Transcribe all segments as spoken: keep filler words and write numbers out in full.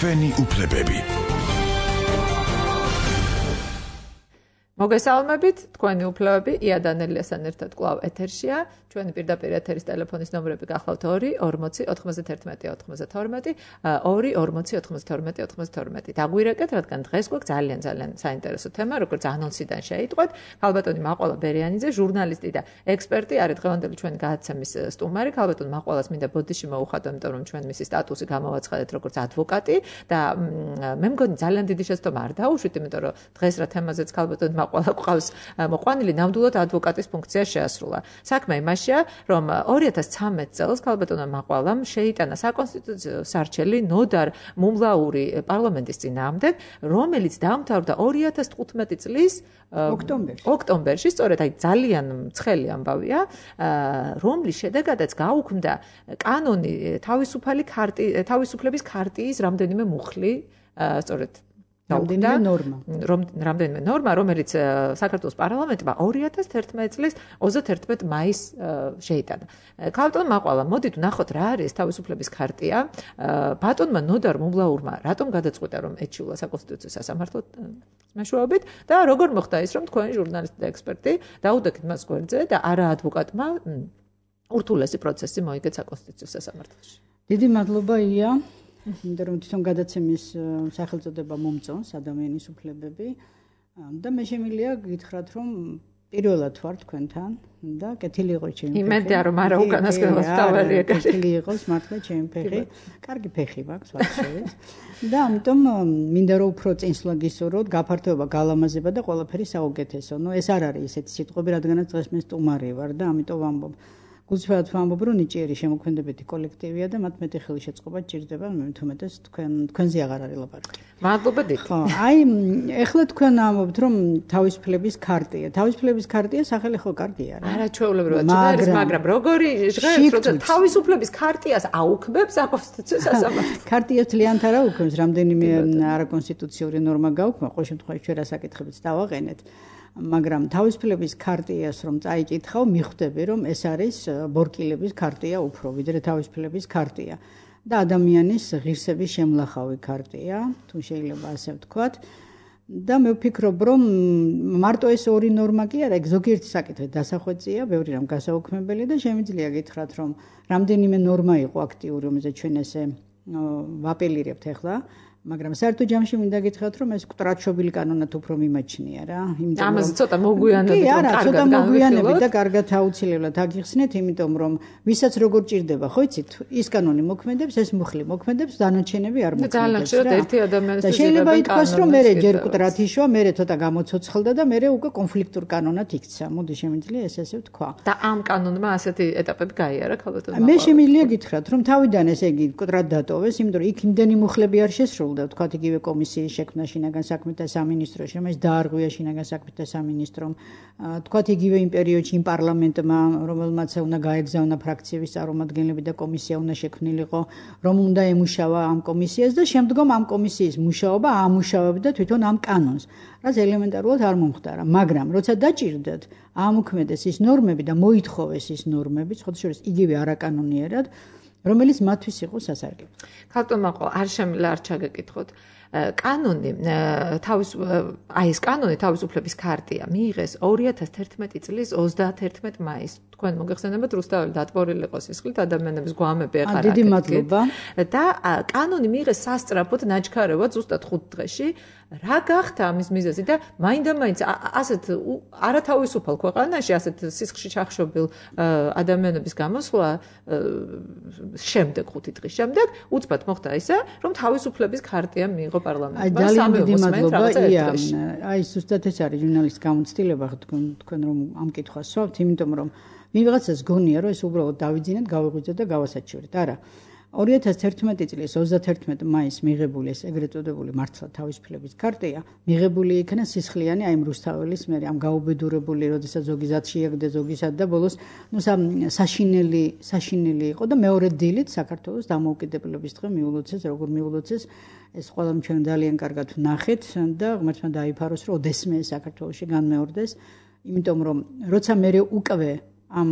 ჩვენი უფლებები. მოგესალმებით, თქვენი უფლებები იადანელიასთან ერთად კვლავ ეთერშია. ჩვენი პირდაპირ ეთერის ტელეფონის ნომრები გახლავთ ორი ორმოცი ოთხმოცდათერთმეტი ოთხმოცდათორმეტი, ორი ორმოცი ოთხმოცდათორმეტი ოთხმოცდათორმეტი. დაგვირეკეთ, რადგან დღეს გვაქვს ძალიან ძალიან საინტერესო თემა, როგორც ანონსიდან შეიტყვეთ. ქალბატონი მაყვალა ბერიანიძე, ჟურნალისტი და ექსპერტი არის დღევანდელი ჩვენი გადაცემის სტუმარი. ქალბატონ მაყვალას მინდა ბოდიში მოუხადო, იმიტომ რომ ჩვენ მისი სტატუსი გამოვაცხადეთ როგორც ადვოკატი და მე მგონი ძალიან დიდი შეცდომა არ დაუშვით, იმიტომ რომ დღეს რა თემაზეც ქალბატონი მაყვალა ყავს მოყვანილი, ნამდვილად ადვოკატის ფუნქცია შეასრულა. საქმე იმაშია, რომ ორი ათას ცხრამეტ წელს ქალბატონმა მაყვალამ შეიტანა საკონსტიტუციო სარჩელი ნოდარ მუმლაური პარლამენტის წინააღმდეგ, რომელიც დაამთავრდა ორი ათას თხუთმეტი წლის ოქტომბერში. ოქტომბერში, სწორედ აი ძალიან ცხელი ამბავია, რომლის შედეგადაც გაუქმდა კანონი თავისუფალი ქარტი თავისუფლების ქარტიის რამდენიმე მუხლი, სწორედ რამდენიმე ნორმა. რამდენიმე ნორმა, რომელიც საქართველოს პარლამენტმა ორი ათას თერთმეტი წლის ოცდაათერთმეტი მაისს შეიტანა. ქალბატონ მაყვალა, მოდით ვნახოთ რა არის თავისუფლების ქარტია. ბატონმა ნოდარ მუმლაურმა რატომ გადაწყვიტა, რომ ეჩიულა საკონსტიტუციო სასამართლო მეშვეობით და როგორ მოხდა ის, რომ თქვენი ჟურნალისტი და ექსპერტი დაუდექით მას გვერდზე და არა ადვოკატმა ურთულესი პროცესი მოიგეთ საკონსტიტუციო სასამართლოში. დიდი მადლობა ია. იმიტომ რომ თვითონ გადაცემის სახელწოდება მომწონს ადამიანის უფლებები და მე შემიძლია გითხრათ, რომ პირველად ვარ თქვენთან და კეთილი იყოს ჩემი ფეხი. იმედია რომ არა უკანასკნელად დავარია კეთილი იყოს მართლა ჩემი ფეხი. კარგი ფეხი მაქვს ვარშავეს. და ამიტომ მინდა რომ უფრო წინსვლა გისურვოთ, გაფართოება, გალამაზება და ყველაფერი საუკეთესო. ნუ ეს არ არის ესეთი სიტყვები, რადგანაც დღეს მე სტუმარი ვარ და ამიტომ ვამბობ. გულწრფელად ვამბობ, რომ ნიჭიერი შემოქმედებითი კოლექტივია და მათ მეტი ხელშეწყობა ჭირდება, მე თუმეტეს თქვენ თქვენზე აღარ არის ლაპარაკი. მადლობა დიდი. ხო, აი ეხლა თქვენ ამბობთ, რომ თავისუფლების ქარტია. თავისუფლების ქარტია სახელი ხო კარგია რა. არა ჩვეულებრივად ჟღერს, მაგრამ როგორი ჟღერს, როცა თავისუფლების ქარტიას აუქმებს საკონსტიტუციო სასამართლო. ქარტიას ძალიანთ არ აუქმებს, რამდენიმე არაკონსტიტუციური ნორმა გაუქმება, ყოველ შემთხვევაში ჩვენ რა საკითხებიც დავაყენეთ. მაგრამ თავისუფლების ქარტიას რომ წაიკითხავ, მიხვდები, რომ ეს არის ბორკილების ქარტია უფრო, ვიდრე თავისუფლების ქარტია და ადამიანის ღირსების შემლახავი ქარტია, თუ შეიძლება ასე ვთქვათ. და მე ვფიქრობ, რომ მარტო ეს ორი ნორმა კი არა, ზოგიერთი საკითხი დასახვეწია, ბევრი რამ გასაუქმებელი და შემიძლია გითხრათ, რომ რამდენიმე ნორმა იყო აქტიური, რომელზეც ჩვენ ესე ვაპელირებთ ახლა. მაგრამ საერთო ჯამში მინდა გითხრათ, რომ ეს კტრატშობილი კანონად უფრო მიმაჩნია რა. ამაზე ცოტა მოგვიანებით, რომ კარგად ცოტა მოგვიანებით და კარგად აუცილებლად აგიხსნეთ, იმიტომ რომ ვისაც როგორ ჭირდება, ხო იცით, ის კანონი მოქმედებს, ეს მუხლი მოქმედებს, დანარჩენები არ მოქმედებს. ძალიან ხშირად ერთი ადამიანის და შეიძლება ითქვას, რომ მე ჯერ კტრატიშვა, მე ცოტა გამოცოცხლდა და მე უკვე კონფლიქტურ კანონად იქცა. მოდი შემიძლია ეს ესე ვთქვა. და ამ კანონმა ასეთი ეტაპები გაიარა ქალბატონმა. მე შემიძლია გითხრათ, რომ თავიდან ესე იგი კტრად დატოვეს, იმიტომ რომ იქ იმდენი მუხლები არ შესრულდა. და ვთქვათ იგივე კომისიის შექმნა შინაგან საქმეთა სამინისტროში, რომელიც დაარღვია შინაგან საქმეთა სამინისტრომ. ვთქვათ იგივე იმ პერიოდში იმ პარლამენტმა, რომელმაც უნდა გაეგზავნა ფრაქციების წარმომადგენლები და კომისია უნდა შექმნილიყო, რომ უნდა ემუშავა ამ კომისიას და შემდგომ ამ კომისიის მუშაობა ამუშავებდა თვითონ ამ კანონს, რაც ელემენტარულად არ მომხდარა. მაგრამ როცა დაჭირდათ, აამოქმედეს ის ნორმები და მოითხოვეს ის ნორმები, სხვა შორის იგივე არაკანონიერად, რომელიც მათთვის იყო სასარგებლო. ქალბატონ მაყვალა, არ შემიძლია არ ჩაგეკითხოთ. კანონი თავის აი ეს კანონი თავისუფლების ქარტია მიიღეს ორი ათას თერთმეტი წლის ოცდაათერთმეტი მაისს. თქვენ მოგეხსენებათ რუსთაველი დატბორილი იყო სისხლით, ადამიანების გვამები ახლა რა. დიდი მადლობა. და კანონი მიიღეს სასწრაფოდ, ნაჩქარევად ზუსტად ხუთ დღეში. რა გახდა ამის მიზეზი და მაინდა-მაინც ასეთ არათავისუფალ ქვეყანაში, ასეთ სისხლში ჩახშობილ ადამიანების გამოსვლა შემდეგ ხუთი დღის შემდეგ უცბად მოხდა ისე, რომ თავისუფლების ქარტია მიიღო პარლამენტმა. ძალიან დიდი მადლობა. აი ზუსტად ეს არის ჟურნალისტის გამოცდილება, თქვენ რომ ამ კითხვას სვავთ, იმიტომ რომ ვიღაცას გონია, რომ ეს უბრალოდ დავიძინეთ, გავიღვიძეთ და გავასაჩივრეთ. არა. ორი ათას თერთმეტი წლის ოცდაათერთმეტი მაისს მიღებული ეს ეგრეთ წოდებული მართლა თავისუფლების ქარტია მიღებული იქნა სისხლიანი აი რუსთაველის მე ამ გაუბედურებული, როდესაც ზოგი ზად შეაგდე ზოგისად და ბოლოს ნუ საშინელი საშინელი იყო და მეორე დილით საქართველოს დამოუკიდებლობის დღე მიულოცეს, როგორ მიულოცეს ეს ყველამ ჩვენ ძალიან კარგად ვნახეთ და ღმერთმა დაიფაროს, რომ ოდესმე საქართველოში განმეორდეს, იმიტომ რომ როცა მე უკვე ამ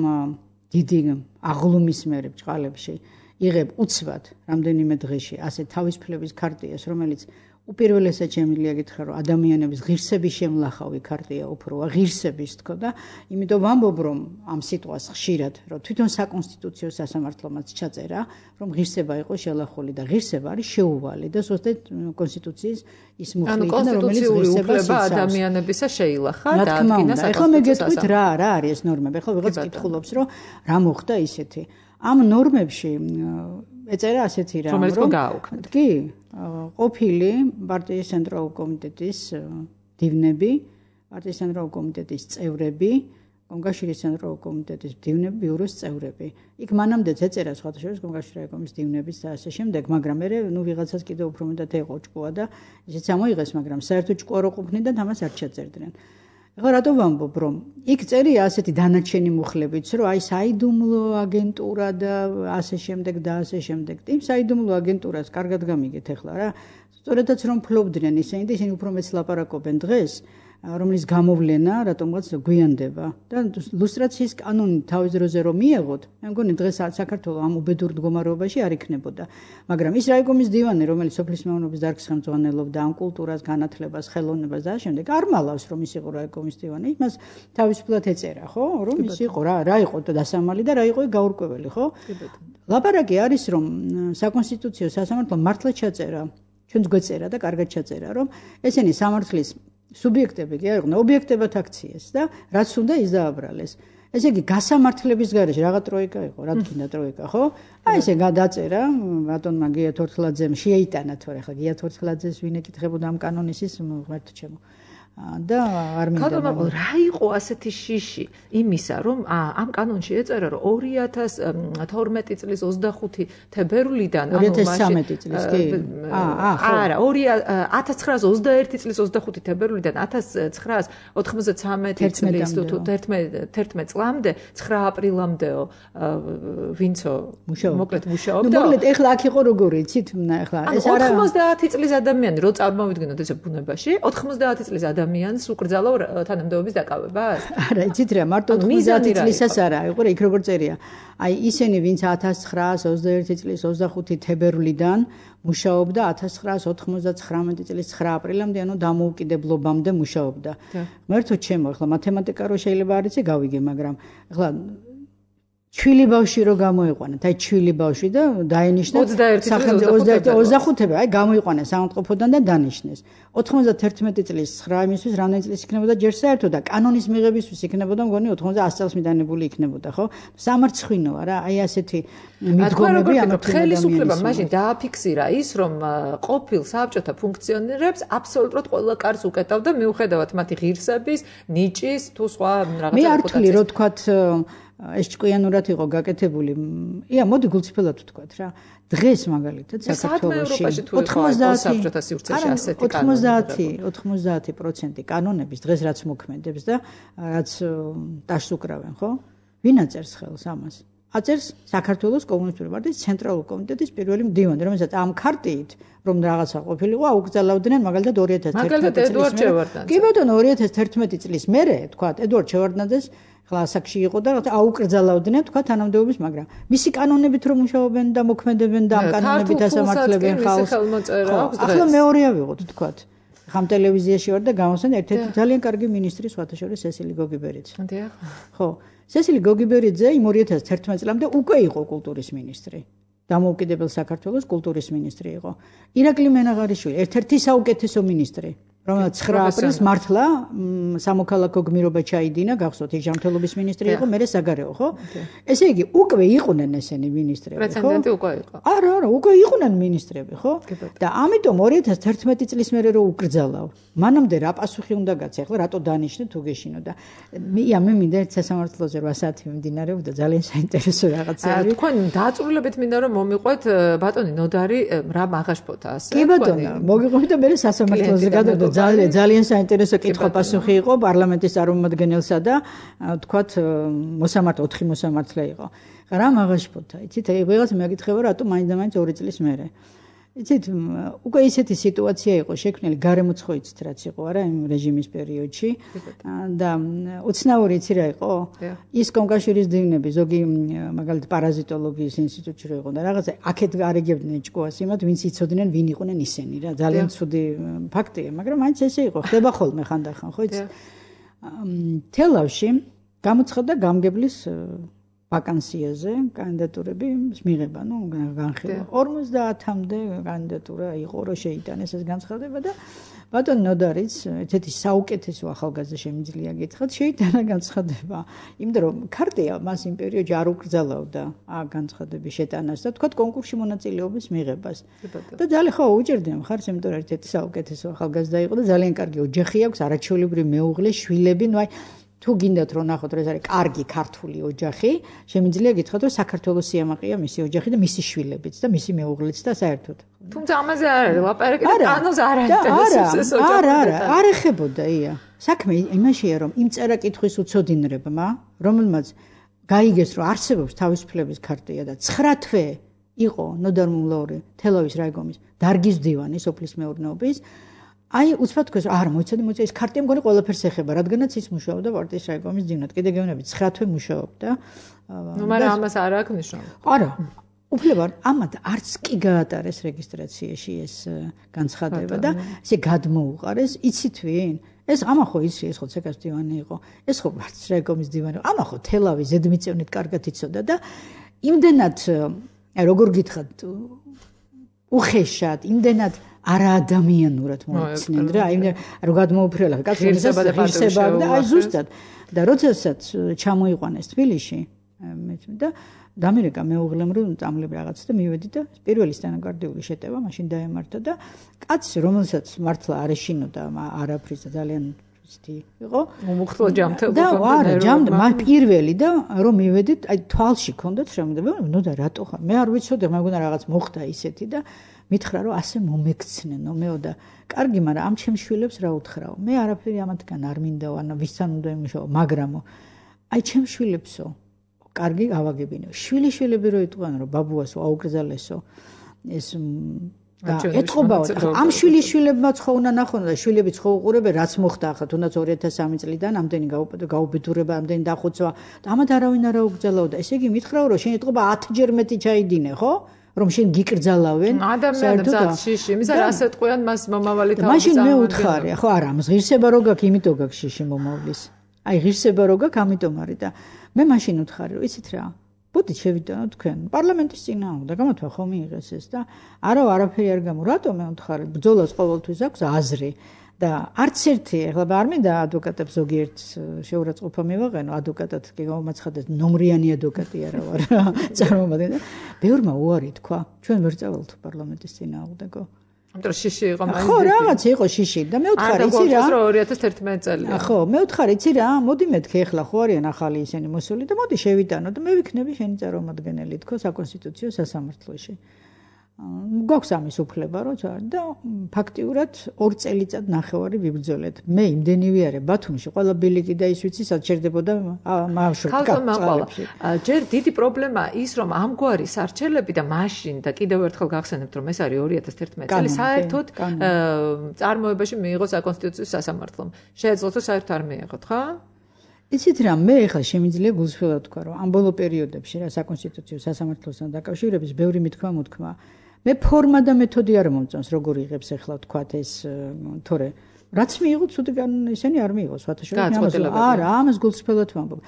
დიდი აღლუმის მერე ბჭყალებში იღებ უცბად რამდენიმე დღეში ასე თავისუფლების ქარტიას, რომელიც უპირველესად შემიძლია გითხრა, რომ ადამიანების ღირსების შემლახავი ქარტია უფროა, ღირსების თქო და იმიტომ ვამბობ, რომ ამ სიტყვას ხშირად, რომ თვითონ საკონსტიტუციო სასამართლომაც ჩაწერა, რომ ღირსება იყო შელახული და ღირსება არის შეუვალი და ზუსტად კონსტიტუციის ის მუხლი იქნება, რომელიც ღირსებას იცავს. ადამიანებისა შეილახა და ადგინა საკონსტიტუციო. ეხლა მე გეტყვით რა, რა არის ეს ნორმები? ეხლა ვიღაც კითხულობს, რომ რა მოხდა ისეთი. ამ ნორმებში ეწერა ასეთი რამ, რომელიც გააუქმეთ. კი, ყოფილი პარტიის ცენტრალური კომიტეტის დივნები, პარტიის ცენტრალური კომიტეტის წევრები, კონკავშირის ცენტრალური კომიტეტის დივნები, ბიუროს წევრები. იქ მანამდეც ეწერა სხვათა შორის კონკავშირის კომიტეტის დივნების და ასე შემდეგ, მაგრამ მე ნუ ვიღაცას კიდევ უფრო მეტად ეყო ჭკუა და ისიც ამოიღეს, მაგრამ საერთოდ ჭკუა რო ყოფნიდან ამას არ ჩაწერდნენ. ეხლა რატო ვამბობ, რომ იქ წერია ასეთი დანარჩენი მუხლებიც, რომ აი საიდუმლო აგენტურა და ასე შემდეგ და ასე შემდეგ. იმ საიდუმლო აგენტურას კარგად გამიგეთ ეხლა რა. სწორედაც რომ ფლობდნენ ისინი და ისინი უფრო მეც ლაპარაკობენ დღეს, რომლის გამოვლენა რატომღაც გვიანდება და ლუსტრაციის კანონი თავის დროზე რომ მიეღოთ, მე მგონი დღეს საქართველოს ამ უბედურ მდგომარეობაში არ იქნებოდა. მაგრამ ის რაიკომის დივანი, რომელიც სოფლის მეურნეობის დარგს ხელმძღვანელობდა ამ კულტურას, განათლებას, ხელოვნებას და ამ შემდეგ, არ მალავს რომ ის იყო რაიკომის დივანი, იმას თავისუფლად ეწერა, ხო? რომ ის იყო რა, რა იყო დასამალი და რა იყო გაურკვეველი, ხო? ლაპარაკი არის რომ საკონსტიტუციო სასამართლომ მართლა ჩაწერა, ჩვენც გვეწერა და კარგად ჩაწერა, რომ ესენი სამართლის სუბიექტები კი არ იყვნენ, ობიექტებად აქციეს და რაც უნდა ის დააბრალეს. ესე იგი გასამართლების გარეშე რაღაც ტროიკა იყო, რა თქმა ტროიკა, ხო? აი ესე გადაწერა, ბატონმა გია თორთლაძემ შეიტანა თორე ხა გია თორთლაძეს ვინ ეკითხებოდა ამ კანონის ის ღმერთო ჩემო. და არ მინდა რა იყო ასეთი შიში იმისა, რომ ამ კანონში ეწერა, რომ ორი ათას თორმეტი წლის ოცდახუთი თებერვლიდან, ორი ათას ცხრამეტი წლის კი? აა, არა, ათას ცხრაას ოცდაერთი წლის ოცდახუთი თებერვლიდან ათას ცხრაას ოთხმოცდათრამეტი წლის თუ თერთმეტ წლამდე, ცხრა აპრილამდეო ვინცო მოკლედ მუშაობდა. მოკლედ ეხლა აქ იყო როგორი, იცით, ეხლა ეს არა ოთხმოცდაათი წლის ადამიანი რო წარმოვიდგინოთ ესე ბუნებაში, ოთხმოცდაათი წლის ადამიანს უკრძალავ თანამდებობის დაკავებას? არა, იცით რა, მარტო ოთხმოცდაათი წლისაც არა, იყო რა, იქ როგორ წერია. აი ისინი, ვინც ათას ცხრაას ოცდაერთი წლის ოცდახუთი თებერვლიდან მუშაობდა ათას ცხრაას ოთხმოცდათხრამეტი წლის ცხრა აპრილამდე, ანუ დამოუკიდებლობამდე მუშაობდა. მერთო ჩემო, ახლა მათემატიკა რო შეიძლება არ იცი გავიგე, მაგრამ ახლა ჩვილი ბავშვი რო გამოიყვანეთ, აი ჩვილი ბავშვი და დაენიშნა ოცდახუთი, აი გამოიყვანეს სამწყობოდან და დანიშნეს. ოთხმოცდათერთმეტი წლის ცხრა იმისთვის რამდენი წლის იქნებოდა ჯერ საერთოდ და კანონის მიღებისთვის იქნებოდა მგონი ოთხმოცდაას წელს მიდანებული იქნებოდა, ხო? სამარცხვინოა რა, აი ასეთი მიდგომები ამ ხელისუფლება მაშინ დააფიქსირა ის, რომ ყოფილ საბჭოთა ფუნქციონერებს აბსოლუტურად ყველა კარს უკეტავდა მიუხედავად მათი ღირსების, ნიჭის თუ სხვა რაღაცა. მე არ ვთვლი, რომ თქვათ ეს ჭკვიანურად იყო გაკეთებული. ია, მოდი გულწრფელად ვთქვათ რა. დღეს მაგალითად საქართველოში ოთხმოცდაათი პროცენტი კანონების დღეს რაც მოქმედებს და რაც ტაშს უკრავენ, ხო? ვინ აწერს ხელს ამას? აწერს საქართველოს კომუნისტური პარტიის ცენტრალური კომიტეტის პირველი მდივანი, რომელსაც ამ ქარტიით რომ რაღაცა ყოფილიყო, აუკრძალავდნენ მაგალითად ორი ათას თერთმეტი წლის მერე. კი ბატონო, ორი ათას თერთმეტი წლის მერე, თქვა, ედუარდ შევარდნაძეს კლასაკში იყო და აუკრძალავდნენ, თქვა, თანამდებობის, მაგრამ მისი კანონებით რომ მუშაობენ და მოქმედებენ და ამ კანონებით ასამართლებენ ხალხს. ახლა მეორეა ვიღოთ, თქვა. ხამ ტელევიზიაში ვარ და გამოსვენ ერთ-ერთი ძალიან კარგი მინისტრი, სხვათა შორის სესილი გოგიბერიძე. დიახ. ხო, სესილი გოგიბერიძე იმ ორი ათას თერთმეტი წლამდე უკვე იყო კულტურის მინისტრი. დამოუკიდებელ საქართველოს კულტურის მინისტრი იყო. ირაკლი მენაღარიშვილი, ერთ-ერთი საუკეთესო მინისტრი. რომელიც ცხრა აპრილს მართლა სამოქალაქო გმირობა ჩაიდინა, გახსოვთ, ის ჯანმრთელობის მინისტრი იყო, მერე საგარეო, ხო? ესე იგი, უკვე იყვნენ ესენი მინისტრები, ხო? პრეცედენტი უკვე იყო. არა, არა, უკვე იყვნენ მინისტრები, ხო? და ამიტომ ორი ათას თერთმეტი წლის მერე რო უკრძალავ, მანამდე რა პასუხი უნდა გაცე, ახლა რატო დანიშნე თუ გეშინო და ია მე მინდა ერთ სასამართლოზე რვა საათი მიმდინარეობდა, ძალიან საინტერესო რაღაცა არის. თქვენ დააწურულებით მინდა რომ მომიყვეთ ბატონი ნოდარი რა მაღაშფოთა ასე. კი ბატონო, მოგიყვებით და მე სასამართლოზე გადავდა. ძალიან ძალიან საინტერესო კითხვა-პასუხი იყო პარლამენტის წარმომადგენელსა და თქვათ მოსამართლე ოთხი მოსამართლე იყო. რა მაღაშფოთა, იცით, ვიღაც მეაკითხება რატო მაინდა-მაინც ორი წლის მერე. იცით, უკვე ისეთი სიტუაცია იყო შექმნილი, გარემოც ხო იცით რაც იყო, არა, იმ რეჟიმის პერიოდში და უცნაური იცი რა იყო? ის კონკავშირის დივნები, ზოგი მაგალითად პარაზიტოლოგიის ინსტიტუტში რო იყო და რაღაცა აქეთ გარეგებდნენ ჭკუას იმათ, ვინც იცოდნენ, ვინ იყვნენ ისინი რა, ძალიან ცუდი ფაქტია, მაგრამ მაინც ესე იყო, ხდება ხოლმე ხანდახან, ხო იცით? თელავში გამოცხადდა გამგებლის ვაკანსიაზე კანდიდატურები მიღება, ნუ განხილვა. ორმოცდაათამდე კანდიდატურა იყო, რომ შეიტანეს ეს განცხადება და ბატონ ნოდარიც, ესეთი საუკეთესო ახალგაზრდა შემიძლია გითხრათ, შეიტანა განცხადება. იმიტომ რომ ქარტია მას იმ პერიოდში არ უკრძალავდა განცხადების შეტანას და თქვათ კონკურსში მონაწილეობის მიღებას. და ძალიან ხო უჭერდნენ მხარს, იმიტომ რომ ერთ-ერთი საუკეთესო ახალგაზრდა იყო და ძალიან კარგი ოჯახი აქვს, არაჩვეულებრივი მეუღლე, შვილები, ნუ აი თუ გინდათ რომ ნახოთ რომ ეს არის კარგი ქართული ოჯახი, შემიძლია გითხრათ რომ საქართველოს სიამაყეა მისი ოჯახი და მისი შვილებიც და მისი მეუღლეც და საერთოდ. თუმცა ამაზე არ არის ლაპარაკი და კანონს არ აინტერესებს ეს ოჯახი. არა, არა, არ ეხებოდა ია. საქმე იმაშია რომ იმ წერა-კითხვის უცოდინრებმა, რომელმაც გაიგეს რომ არსებობს თავისუფლების ქარტია და ცხრა თვე იყო ნოდარ მუმლაური თელავის რაიგომის დარგის მდივანი სოფლის მეურნეობის აი უცბად თქვენ არა მოიცადე მოიცადე ეს ქარტია მგონი ყველაფერს ეხება რადგანაც ის მუშაობდა პარტიის რაიგომის მდივნად კიდე გეუბნები ცხრა თვე მუშაობდა ნუ მაგრამ ამას არ აქვს მნიშვნელობა არა უფლებარ ამათ არც კი გაატარეს რეგისტრაციაში ეს განცხადება და ესე გადმოუყარეს იცით ვინ ეს ამა ხო იცი ეს ხო ცეკას მდივანი იყო ეს ხო პარტიის რაიგომის მდივანი ამა ხო თელავის ზედმიწევნით კარგად იცოდა და იმდენად როგორ გითხრათ უხეშად იმდენად არაადამიანურად მოიცნენ რა აი რომ გადმოუფრელა კაცობრიობის ღირსება და აი ზუსტად და როდესაც ჩამოიყვანეს თბილისში და დამერეკა მეუღლემ რომ წამლები რაღაც და მივედი და პირველი სტენოგრაფიული შეტევა მაშინ დაემართა და კაცი რომელსაც მართლა არ ეშინოდა არაფრის და ძალიან ისეთი იყო მომუხტლა ჯამთელობა და არა ჯამდა მაგ პირველი და რომ მივედით აი თვალში ქონდათ შემოდება ნუ და რატო ხარ მე არ ვიცოდი მაგონა რაღაც მოხდა ისეთი და მითხრა რომ ასე მომექცნენო მეო და კარგი მაგრამ ამ ჩემს შვილებს რა უთხრაო მე არაფერი ამათგან არ მინდაო ანუ ვისთან უნდა იმუშაო მაგრამო აი ჩემს შვილებსო კარგი ავაგებინო შვილი შვილები რო იტყვიან რომ ბაბუასო აუკრძალესო ეს და ეთყობაო ამ შვილი შვილებმაც ხო უნდა ნახონ და შვილებიც ხო უყურებენ რაც მოხდა ახლა თუნდაც ორი ათას სამი წლიდან ამდენი გაუბედურება ამდენი დახოცვა და ამათ არავინ არ აუკრძალაო და ესე იგი მითხრაო რომ შენ ეთყობა ათჯერ მეტი ჩაიდინე ხო რომ შენ გიკრძალავენ ადამიანებს შიში იმის არ ასე ტყვიან მას მომავალი თავი მაშინ მე უთხარი ხო არა ამას ღირსება რო გაქვს იმიტომ გაქვს შიში მომავლის აი ღირსება რო გაქვს ამიტომ არის და მე მაშინ უთხარი რომ იცით რა ბოდით შევიდანო თქვენ პარლამენტის წინააღმდეგ გამათვა ხომ მიიღეს ეს და არა არაფერი არ გამო რატომ მე უთხარი ბრძოლას ყოველთვის აქვს აზრი და არც ერთი ეხლა არ მინდა ადვოკატებს ზოგიერთ შეურაცხყოფა მივაყენო ადვოკატად კი გამომაცხადეთ ნომრიანი ადვოკატი არა ვარ წარმომადგენელი ბევრმა უარი თქვა ჩვენ ვერ წავალთ პარლამენტის წინააღმდეგო ამიტომ შიში იყო მაინც ხო რაღაც იყო შიში და მე უთხარი იცი რა ორი ათას თერთმეტი წელია ხო მე უთხარი იცი რა მოდი მეთქე ეხლა ხო არიან ახალი ისინი მოსული და მოდი შევიტანო და მე ვიქნები შენი წარმომადგენელი თქო საკონსტიტუციო სასამართლოში გვაქვს ამის უფლება რო და ფაქტიურად ორ წელიწად ნახევარი ვიბრძოლეთ მე იმდენივე არა ბათუმში ყველა ბილიკი და ის ვიცი საჩერდებოდა მაშინ ჯერ დიდი პრობლემა ის რომ ამგვარი სარჩელები და მაშინ და კიდევ ერთხელ გახსენებთ რომ ეს არის ორი ათას თერთმეტი წელი საერთოდ წარმოებაში მიიღო საკონსტიტუციო სასამართლომ შეეძლოთ რომ საერთოდ არ მიიღოთ ხო იცით რა მე ახლა შემიძლია გულსხმელად თქვა რომ ამ ბოლო პერიოდებში რა საკონსტიტუციო სასამართლოსთან დაკავშირების ბევრი მithქმა მოთქმა მე ფორმა და მეთოდი არ მომწონს როგორ იღებს ახლა თქვათ ეს თორე რაც მიიღო ცუდი კანონი ისინი არ მიიღო სხვათაშორის არა ამას გულსხმელად ვამბობ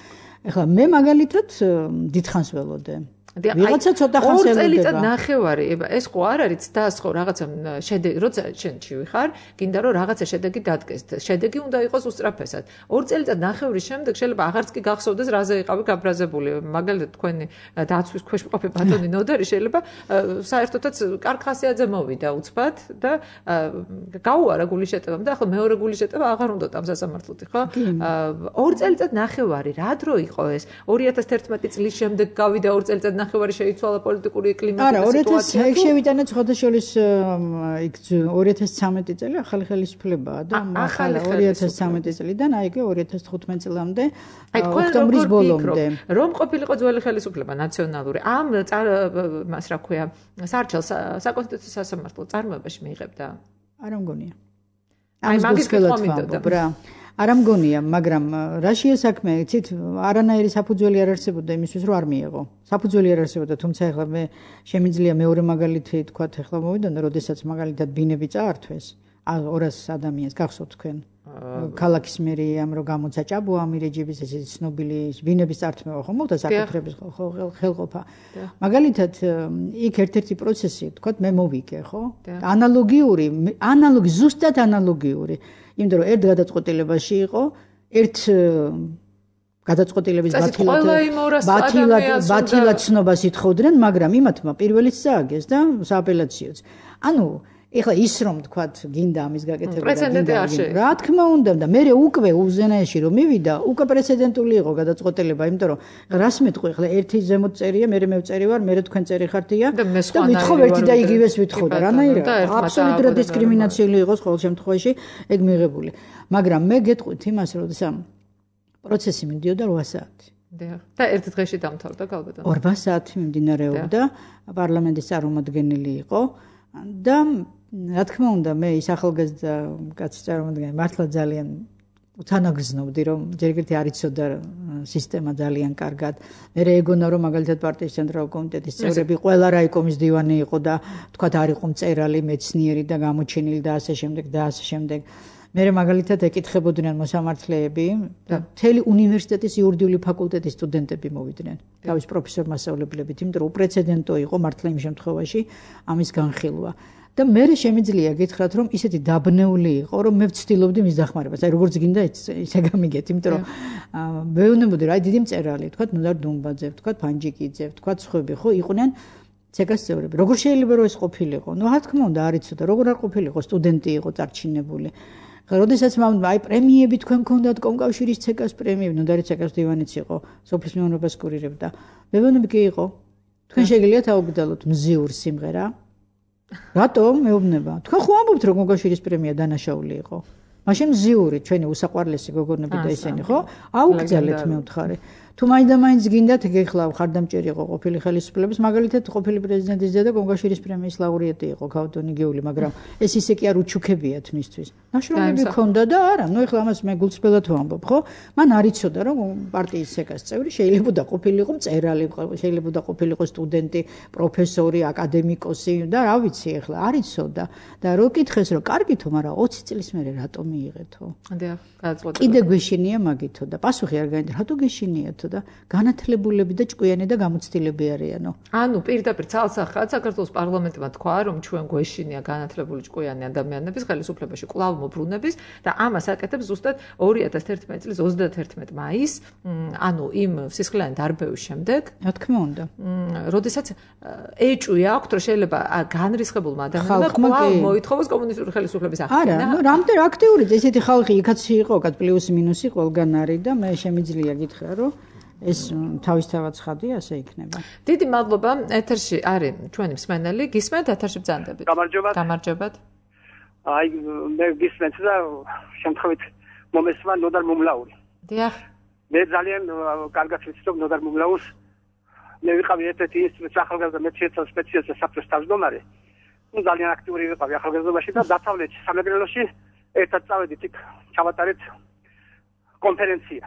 ახლა მე მაგალითად დიდხანს ველოდე ვიღაცა ცოტა ხანს ელოდება. ორ წელიწად ნახევარი, ეს ხო არ არის ცდას ხო რაღაცა შედეგი, როცა შენ ჩივი ხარ, გინდა რომ რაღაცა შედეგი დადგეს. შედეგი უნდა იყოს უსწრაფესად. ორ წელიწად ნახევრის შემდეგ შეიძლება აღარც კი გახსოვდეს რაზე იყავი გაბრაზებული. მაგალითად თქვენი დაცვის ქვეშ მყოფი ბატონი ნოდარი შეიძლება საერთოდაც კარგ ხასიათზე მოვიდა უცბად და გაუარა გული შეტევამ და ახლა მეორე გული შეტევა აღარ უნდა ამ სასამართლოთი, ხო? ორ წელიწად ნახევარი, რა დრო იყო ეს? ორი ათას თერთმეტი წლის შემდეგ გავიდა ორ წელიწად ნახევარი შეიცვალა პოლიტიკური კლიმატი და სიტუაცია. არა, შევიტანეთ ხოთაშოლის იქ ორი ათას ცხრამეტი წელი ახალი ხელისუფლებაა და ახალი ორი ათას ცხრამეტი წლიდან აი ეგ ორი ათას თხუთმეტი წლამდე ოქტომბრის ბოლომდე. რომ ყოფილიყო ძველი ხელისუფლება ნაციონალური ამ მას რა ქვია საარჩევნო საკონსტიტუციო სასამართლო წარმოებაში მიიღებდა? არა მგონია. აი მაგის კითხვა მინდოდა. არა მგონია, მაგრამ რაშია საქმე, იცით, არანაირი საფუძველი არ არსებობდა იმისთვის, რომ არ მიეღო. საფუძველი არ არსებობდა, თუმცა ახლა მე შემიძლია მეორე მაგალითი თქვა, ახლა მოვიდონა, როდესაც მაგალითად ბინები წაართვეს, ორას ადამიანს გახსოვთ თქვენ. ქალაქის მერიამ რო გამოცა ჭაბუა ამირეჯიბის ესეთი ცნობილი ბინების წართმევა ხომ მოხდა საკუთრების ხელყოფა. მაგალითად იქ ერთ-ერთი პროცესი, თქვა მე მოვიგე, ხო? ანალოგიური, ანალოგი ზუსტად ანალოგიური. იმიტომ რომ ერთ გადაწყვეტილებაში იყო, ერთ გადაწყვეტილების ბათილად ბათილად ბათილად ცნობას ითხოვდნენ, მაგრამ იმათმა პირველიც წააგეს და სააპელაციოც. ანუ ეხლა ის რომ თქვათ გინდა ამის გაკეთება და გინდა რა თქმა უნდა და მე უკვე უზენაეში რომ მივიდა უკვე პრეცედენტული იყო გადაწყვეტილება იმიტომ რომ რას მეტყვი ეხლა ერთი ზემოთ წერია მე მე ვწერი ვარ მე თქვენ წერი ხართია და ვითხოვ ერთი და იგივეს ვითხოვ და რანაირად აბსოლუტურად დისკრიმინაციული იყოს ყოველ შემთხვევაში ეგ მიღებული მაგრამ მე გეტყვით იმას რომ პროცესი მიდიოდა რვა საათი და ერთ დღეში დამთავრდა გალბატონო რვა საათი მიმდინარეობდა პარლამენტის წარმომადგენელი იყო და რა თქმა უნდა მე ის ახალგაზრდა კაცი წარმომადგენელი მართლა ძალიან უთანაგრძნობდი რომ ჯერ ერთი არ იცოდა სისტემა ძალიან კარგად მე ეგონა რომ მაგალითად პარტიის ცენტრალური კომიტეტის წევრები ყველა რაიკომის დივანი იყო და თქვათ არ იყო მწერალი მეცნიერი და გამოჩენილი და ასე შემდეგ და ასე შემდეგ მე მაგალითად ეკითხებოდნენ მოსამართლეები და მთელი უნივერსიტეტის იურიდიული ფაკულტეტის სტუდენტები მოვიდნენ თავის პროფესორ-მასწავლებლებით იმიტომ რომ უპრეცედენტო იყო მართლა იმ შემთხვევაში ამის განხილვა და მე შემიძლია გითხრათ რომ ისეთი დაბნეული იყო რომ მე ვცდილობდი მის დახმარებას აი როგორც გინდა ისე გამიგეთ იმიტომ რომ მეუბნებოდი რა დიდი მწერალი თქვა ნოდარ დუმბაძე თქვა ფანჯიკიძე თქვა სხვები ხო იყვნენ ცეკას წევრები როგორ შეიძლება რომ ეს ყოფილიყო ნუ რა თქმა უნდა არ იცოდა როგორ არ ყოფილიყო სტუდენტი იყო წარჩინებული როდესაც მამ აი პრემიები თქვენ გქონდათ კომკავშირის ცეკას პრემიები ნოდარი ცეკას დივანიც იყო სოფლის მეურნეობას კურირებდა მეუბნები კი იყო თქვენ შეგიძლიათ აუგდალოთ მზიურ სიმღერა რატომ მეუბნება თქვენ ხო ამბობთ რომ კომკავშირის პრემია დანაშაული იყო მაშინ მზიური ჩვენი უსაყვარლესი გოგონები და ისინი ხო აუგდალეთ მე ვთხარი თუ მაინდა-მაინც გინდათ გეხლა ხარდამჭერი იყო ყოფილი ხელისუფლების მაგალითად ყოფილი პრეზიდენტის დედა კომკავშირის პრემიის ლაურეატი იყო ქავთონი გეული მაგრამ ეს ისე კი არ უჩუქებიათ მისთვის ნაშრომები ქონდა და არა ნუ ეხლა ამას მე გულწრფელად ვამბობ ხო მან არ იცოდა რომ პარტიის ცეკას წევრი შეიძლება ყოფილიყო მწერალი შეიძლება ყოფილიყო სტუდენტი პროფესორი აკადემიკოსი და რა ვიცი ეხლა არ იცოდა და რო კითხეს რომ კარგითო მაგრამ ოცი წლის მერე რატომ მიიღეთო დიახ გადაწყვეტილება კიდე გვეშინია მაგითო და პასუხი არ გაინდა რატო გეშინიათო და განათლებულები და ჭკვიანი და გამოცდილები არიანო. ანუ პირდაპირ ცალსახად საქართველოს პარლამენტმა თქვა, რომ ჩვენ გვეშინია განათლებული ჭკვიანი ადამიანების ხელისუფლებაში კვლავ მობრუნების და ამას აკეთებს ზუსტად ორი ათას ერთმეტი წლის ოცდაათი მაისს, ანუ იმ სისხლიანი დარბევის შემდეგ. რა თქმა უნდა. როდესაც ეჭვი აქვთ, რომ შეიძლება განრისხებულმა ადამიანმა კვლავ მოითხოვოს კომუნისტური ხელისუფლების აღდგენა. არა, ნუ რამდენ აქტიური ესეთი ხალხი იქაც იყო, კაც პლუს მინუსი ყველგან არის და მე შემიძლია გითხრა, რომ ეს თავისთავად ცხადია, ასე იქნება. დიდი მადლობა. ეთერში არის ჩვენი მსმენელი. გისმენთ ეთერში ბრძანდებით. გამარჯობათ. გამარჯობათ. აი მე გისმენთ და შემთხვევით მომესვა ნოდარ მომლაური. დიახ. მე ძალიან კარგად ვიცნობ ნოდარ მომლაურს. მე ვიყავი ერთ-ერთი ინსტიტუტის ახალგაზრდა მეცნიერთა სპეციალისტი საფრთხის თავმჯდომარე. ნუ ძალიან აქტიური ვიყავი ახალგაზრდობაში და დასავლეთში სამეგრელოში ერთად წავედით იქ ჩავატარეთ კონფერენცია.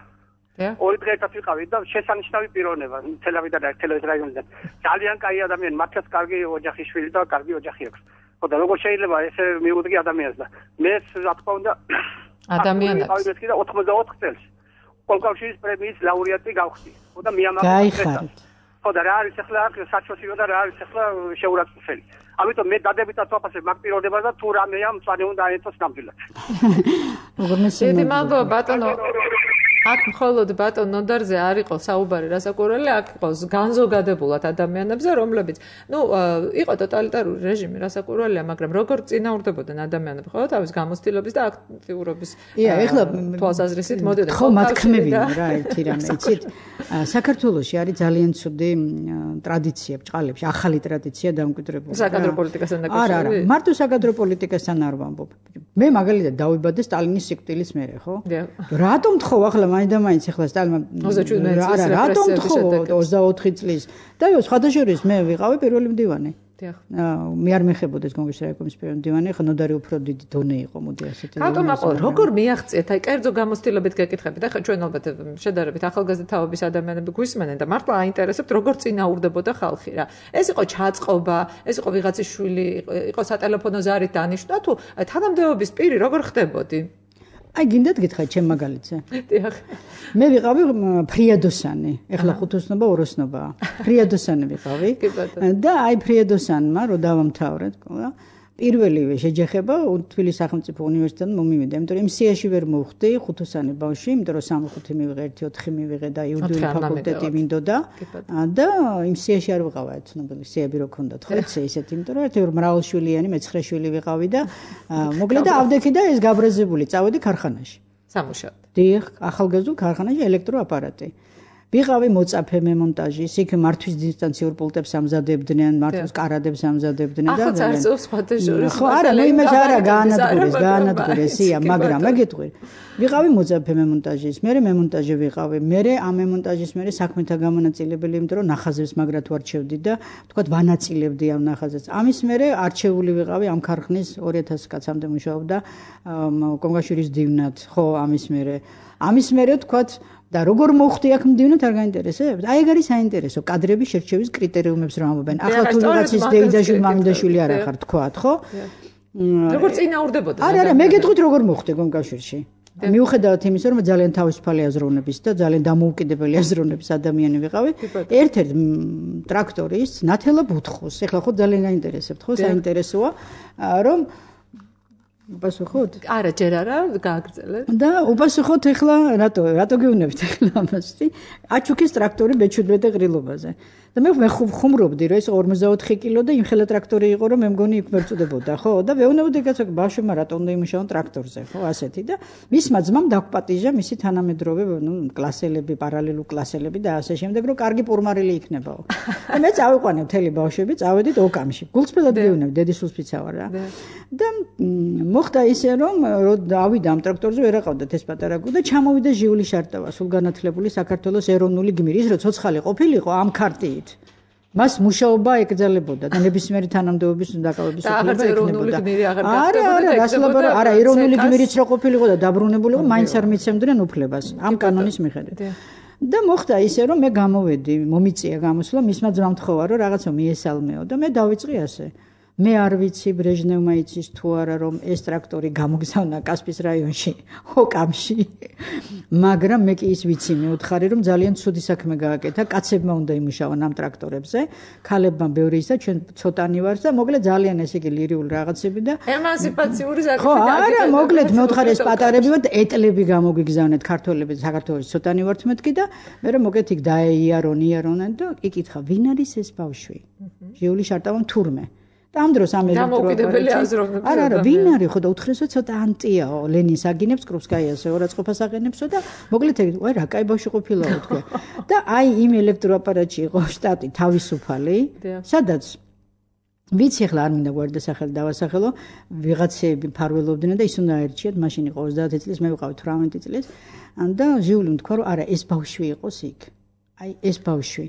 ორი დღე ერთად ვიყავი და შესანიშნავი პიროვნება თელავიდან და თელავის რაიონიდან. ძალიან კაი ადამიანი, მართლაც კარგი ოჯახის შვილი და კარგი ოჯახი აქვს. ხო და როგორ შეიძლება ესე მიუღდი ადამიანს და მე რა თქმა უნდა ადამიანს ვიყავი და ოცდაოთხ წელს კომკავშირის პრემიის ლაურეატი გავხდი. ხო და მიამაყო. გაიხარეთ. ხო და რა არის ახლა საჩვენო და რა არის ახლა შეურაცხყოფელი. ამიტომ მე დადებითად ვაფასებ მაგ პიროვნებას და თუ რამეა მწვანე უნდა აეწოს ნამდვილად. როგორ მესმის. დიდი მადლობა ბატონო. აქ მხოლოდ ბატონ ნოდარზე არ იყო საუბარი რასაკვირველი, აქ იყო განზოგადებულად ადამიანებზე, რომლებიც, ну, იყო ტოტალიტარული რეჟიმი რასაკვირველია, მაგრამ როგორ წინააღმდებოდნენ ადამიანები, ხო, თავის გამოცდილების და აქტიურობის თვალსაზრისით მოდიოდნენ. ხო, მათქმევინა რა, ერთი რამე, იცით? საქართველოში არის ძალიან ცუდი ტრადიცია ბჭყალებში, ახალი ტრადიცია დამკვიდრებული. საკადრო პოლიტიკასთან დაკავშირებით? არა, არა, მარტო საკადრო პოლიტიკასთან არ ვამბობ. მე მაგალითად დავიბადე სტალინის სიკვდილის მერე, ხო? რატომ თხოვ ახლა მაინდა-მაინც ახლა სტალინმა არა, რატომ თხოვ ოცდაოთხი წლის? და სხვადასხვა მე ვიყავი პირველი მდივანი. მე არ მეხებოდეს კონგრესის რაიკომის პირველი მდივანი, ხა ნოდარი უფრო დიდი დონე იყო, მოდი ასეთი. რატომ აყო, როგორ მიაღწიეთ? აი, კერძო გამოცდილებით გეკითხებით. ახლა ჩვენ ალბათ შედარებით ახალგაზრდა თაობის ადამიანები გვისმენენ და მართლა აინტერესებთ, როგორ წინააღმდებოდა ხალხი რა. ეს იყო ჩაწყობა, ეს იყო ვიღაცის შვილი, იყო სატელეფონო ზარით დანიშნვა თუ თანამდებობის პირი როგორ ხდებოდი? აი გინდათ გითხარით ჩემ მაგალითზე. დიახ. მე ვიყავი ფრიადოსანი. ეხლა ხუთოსნობა ოროსნობაა. ფრიადოსანი ვიყავი. და აი ფრიადოსანმა რო დავამთავრეთ, ყოლა. პირველივე შეჯახება თბილისის სახელმწიფო უნივერსიტეტთან მომივიდა, იმიტომ რომ სიაში ვერ მოვხდი ხუთოსანი ბავშვი, იმიტომ რომ სამი-ხუთი მივიღე, ერთი ოთხი მივიღე და იურიდიული ფაკულტეტი მინდოდა და იმ სიაში არ ვიყავა ცნობილი სიები რო ქონდათ, ხო, ისეთი, იმიტომ რომ ერთი მრავალშვილიანი მეცხრე შვილი ვიყავი და მოკლედ და ავდექი და ეს გაბრაზებული წავედი ქარხანაში. სამუშაოდ. დიახ, ახალგაზრდულ ქარხანაში ელექტროაპარატი. ვიყავი მოწაფე მემონტაჟის, იქ მართვის დისტანციურ პულტებს ამზადებდნენ, მართვის კარადებს ამზადებდნენ და ახლა წარწევს ფათეჟურის. ხო, არა, ნუ იმას არა გაანადგურეს, გაანადგურეს, ია, მაგრამ მე გეტყვი. ვიყავი მოწაფე მემონტაჟის, მე მემონტაჟე ვიყავი, მე ამ მემონტაჟის მე საქმეთა გამონაწილებელი, იმიტომ რომ ნახაზებს მაგრად ვარჩევდი და თქვათ ვანაწილებდი ამ ნახაზებს. ამის მერე არჩეული ვიყავი ამ ქარხნის ორი ათასი კაცამდე მუშაობდა კონგაშვილის დივნად, ხო, ამის მერე. ამის მერე თქვათ და როგორ მოხდი აქ მდივნად არ გაინტერესებთ? აი ეგ არის საინტერესო კადრების შერჩევის კრიტერიუმებს რომ ამობენ. ახლა თუ ვიღაცის დეიდაშვილი, მამიდაშვილი არ ახართ, თქვათ, ხო? როგორ წინააღმდებოდა? არა, არა, მე გეტყვით როგორ მოხდი კონგაშვილში. მიუხედავად იმისა, რომ ძალიან თავისუფალი აზროვნების და ძალიან დამოუკიდებელი აზროვნების ადამიანი ვიყავი, ერთ-ერთ ტრაქტორის ნათელა ბუთხოს. ეხლა ხო ძალიან გაინტერესებთ, ხო? საინტერესოა, რომ უპასუხოთ? არა, ჯერ არა, გააგრძელეთ. და უპასუხოთ ეხლა, რატო, რატო გეუბნებით ეხლა ამასი? აჩუქის ტრაქტორი მეჩვიდმეტე ყრილობაზე. და მე მე ხუმრობდი, რომ ეს ორმოცდაოთხი კილო და იმხელა ტრაქტორი იყო, რომ მე მგონი იქ მერწუდებოდა, ხო? და ვეუბნებოდი კაცო, ბავშვებმა რატო უნდა იმუშაონ ტრაქტორზე, ხო, ასეთი და მისმა ძმამ დაგვპატიჟა მისი თანამედროვე, ნუ კლასელები, პარალელურ კლასელები და ასე შემდეგ, რომ კარგი პურმარილი იქნებაო. და მე წავიყვანე მთელი ბავშვები, წავედით ოკამში. გულწრფელად გეუბნები, დედისულს ფიცავარ რა. და მოხდა ისე, რომ დავიდა ამ ტრაქტორზე, ვერ აყავდათ ეს პატარა გუ და ჩამოვიდა ჟიული შარტავა, სულ განათლებული საქართველოს ეროვნული გმირი, ის რო ცოცხალი ყოფილიყო ამ ქარტიით. მას მუშაობა ეკრძალებოდა და ნებისმიერი თანამდებობის დაკავების უფლება ექნებოდა. არა, არა, რასლაბა, არა, ეროვნული გმირიც რო ყოფილიყო და დაბრუნებულიყო, მაინც არ მიცემდნენ უფლებას ამ კანონის მიხედვით. და მოხდა ისე, რომ მე გამოვედი, მომიწია გამოსვლა, მისმა ძმამ თხოვა, რომ რაღაცა მიესალმეო და მე დავიწყე ასე. მე არ ვიცი ბრეჟნევმა იცის თუ არა რომ ეს ტრაქტორი გამოგზავნა კასპის რაიონში, ოკამში. მაგრამ მე კი ის ვიცი, მე ვთხარი რომ ძალიან ცუდი საქმე გააკეთა, კაცებმა უნდა იმუშავონ ამ ტრაქტორებზე, ქალებმა ბევრი ისა, ჩვენ ცოტანი ვართ და მოკლედ ძალიან ესე იგი ლირიული რაღაცები და ემანსიპაციური საკითხი. ხო, არა, მოკლედ მე ვთხარი ეს პატარები ვართ, ეტლები გამოგიგზავნეთ ქართველები საქართველოს ცოტანი ვართ მეთქი და მე რომ მოკეთ იქ დაეიარონ, იარონენ და იკითხა, ვინ არის ეს ბავშვი? ჟიული შარტავა თურმე. ამ დროს ამ დამოუკიდებელი აზროვნების არა არა ვინ არის ხო და უთხრესო ცოტა ანტიაო ლენინს აგინებს კრუპსკაიასო ორაცხყოფას აღენებსო და მოკლედ აი რა კაი ბავშვი ყოფილაო თქვა და აი იმ ელექტროაპარატში იყო შტატი თავისუფალი სადაც ვიცი ახლა არ მინდა გვერდასახელი დავასახელო ვიღაცები ფარველობდნენ და ის უნდა აერჩიათ მაშინ იყო ოცდაათი წლის მე ვიყავი თვრამეტი წლის და ჟიულიმ თქვა რომ არა ეს ბავშვი იყოს იქ აი ეს ბავშვი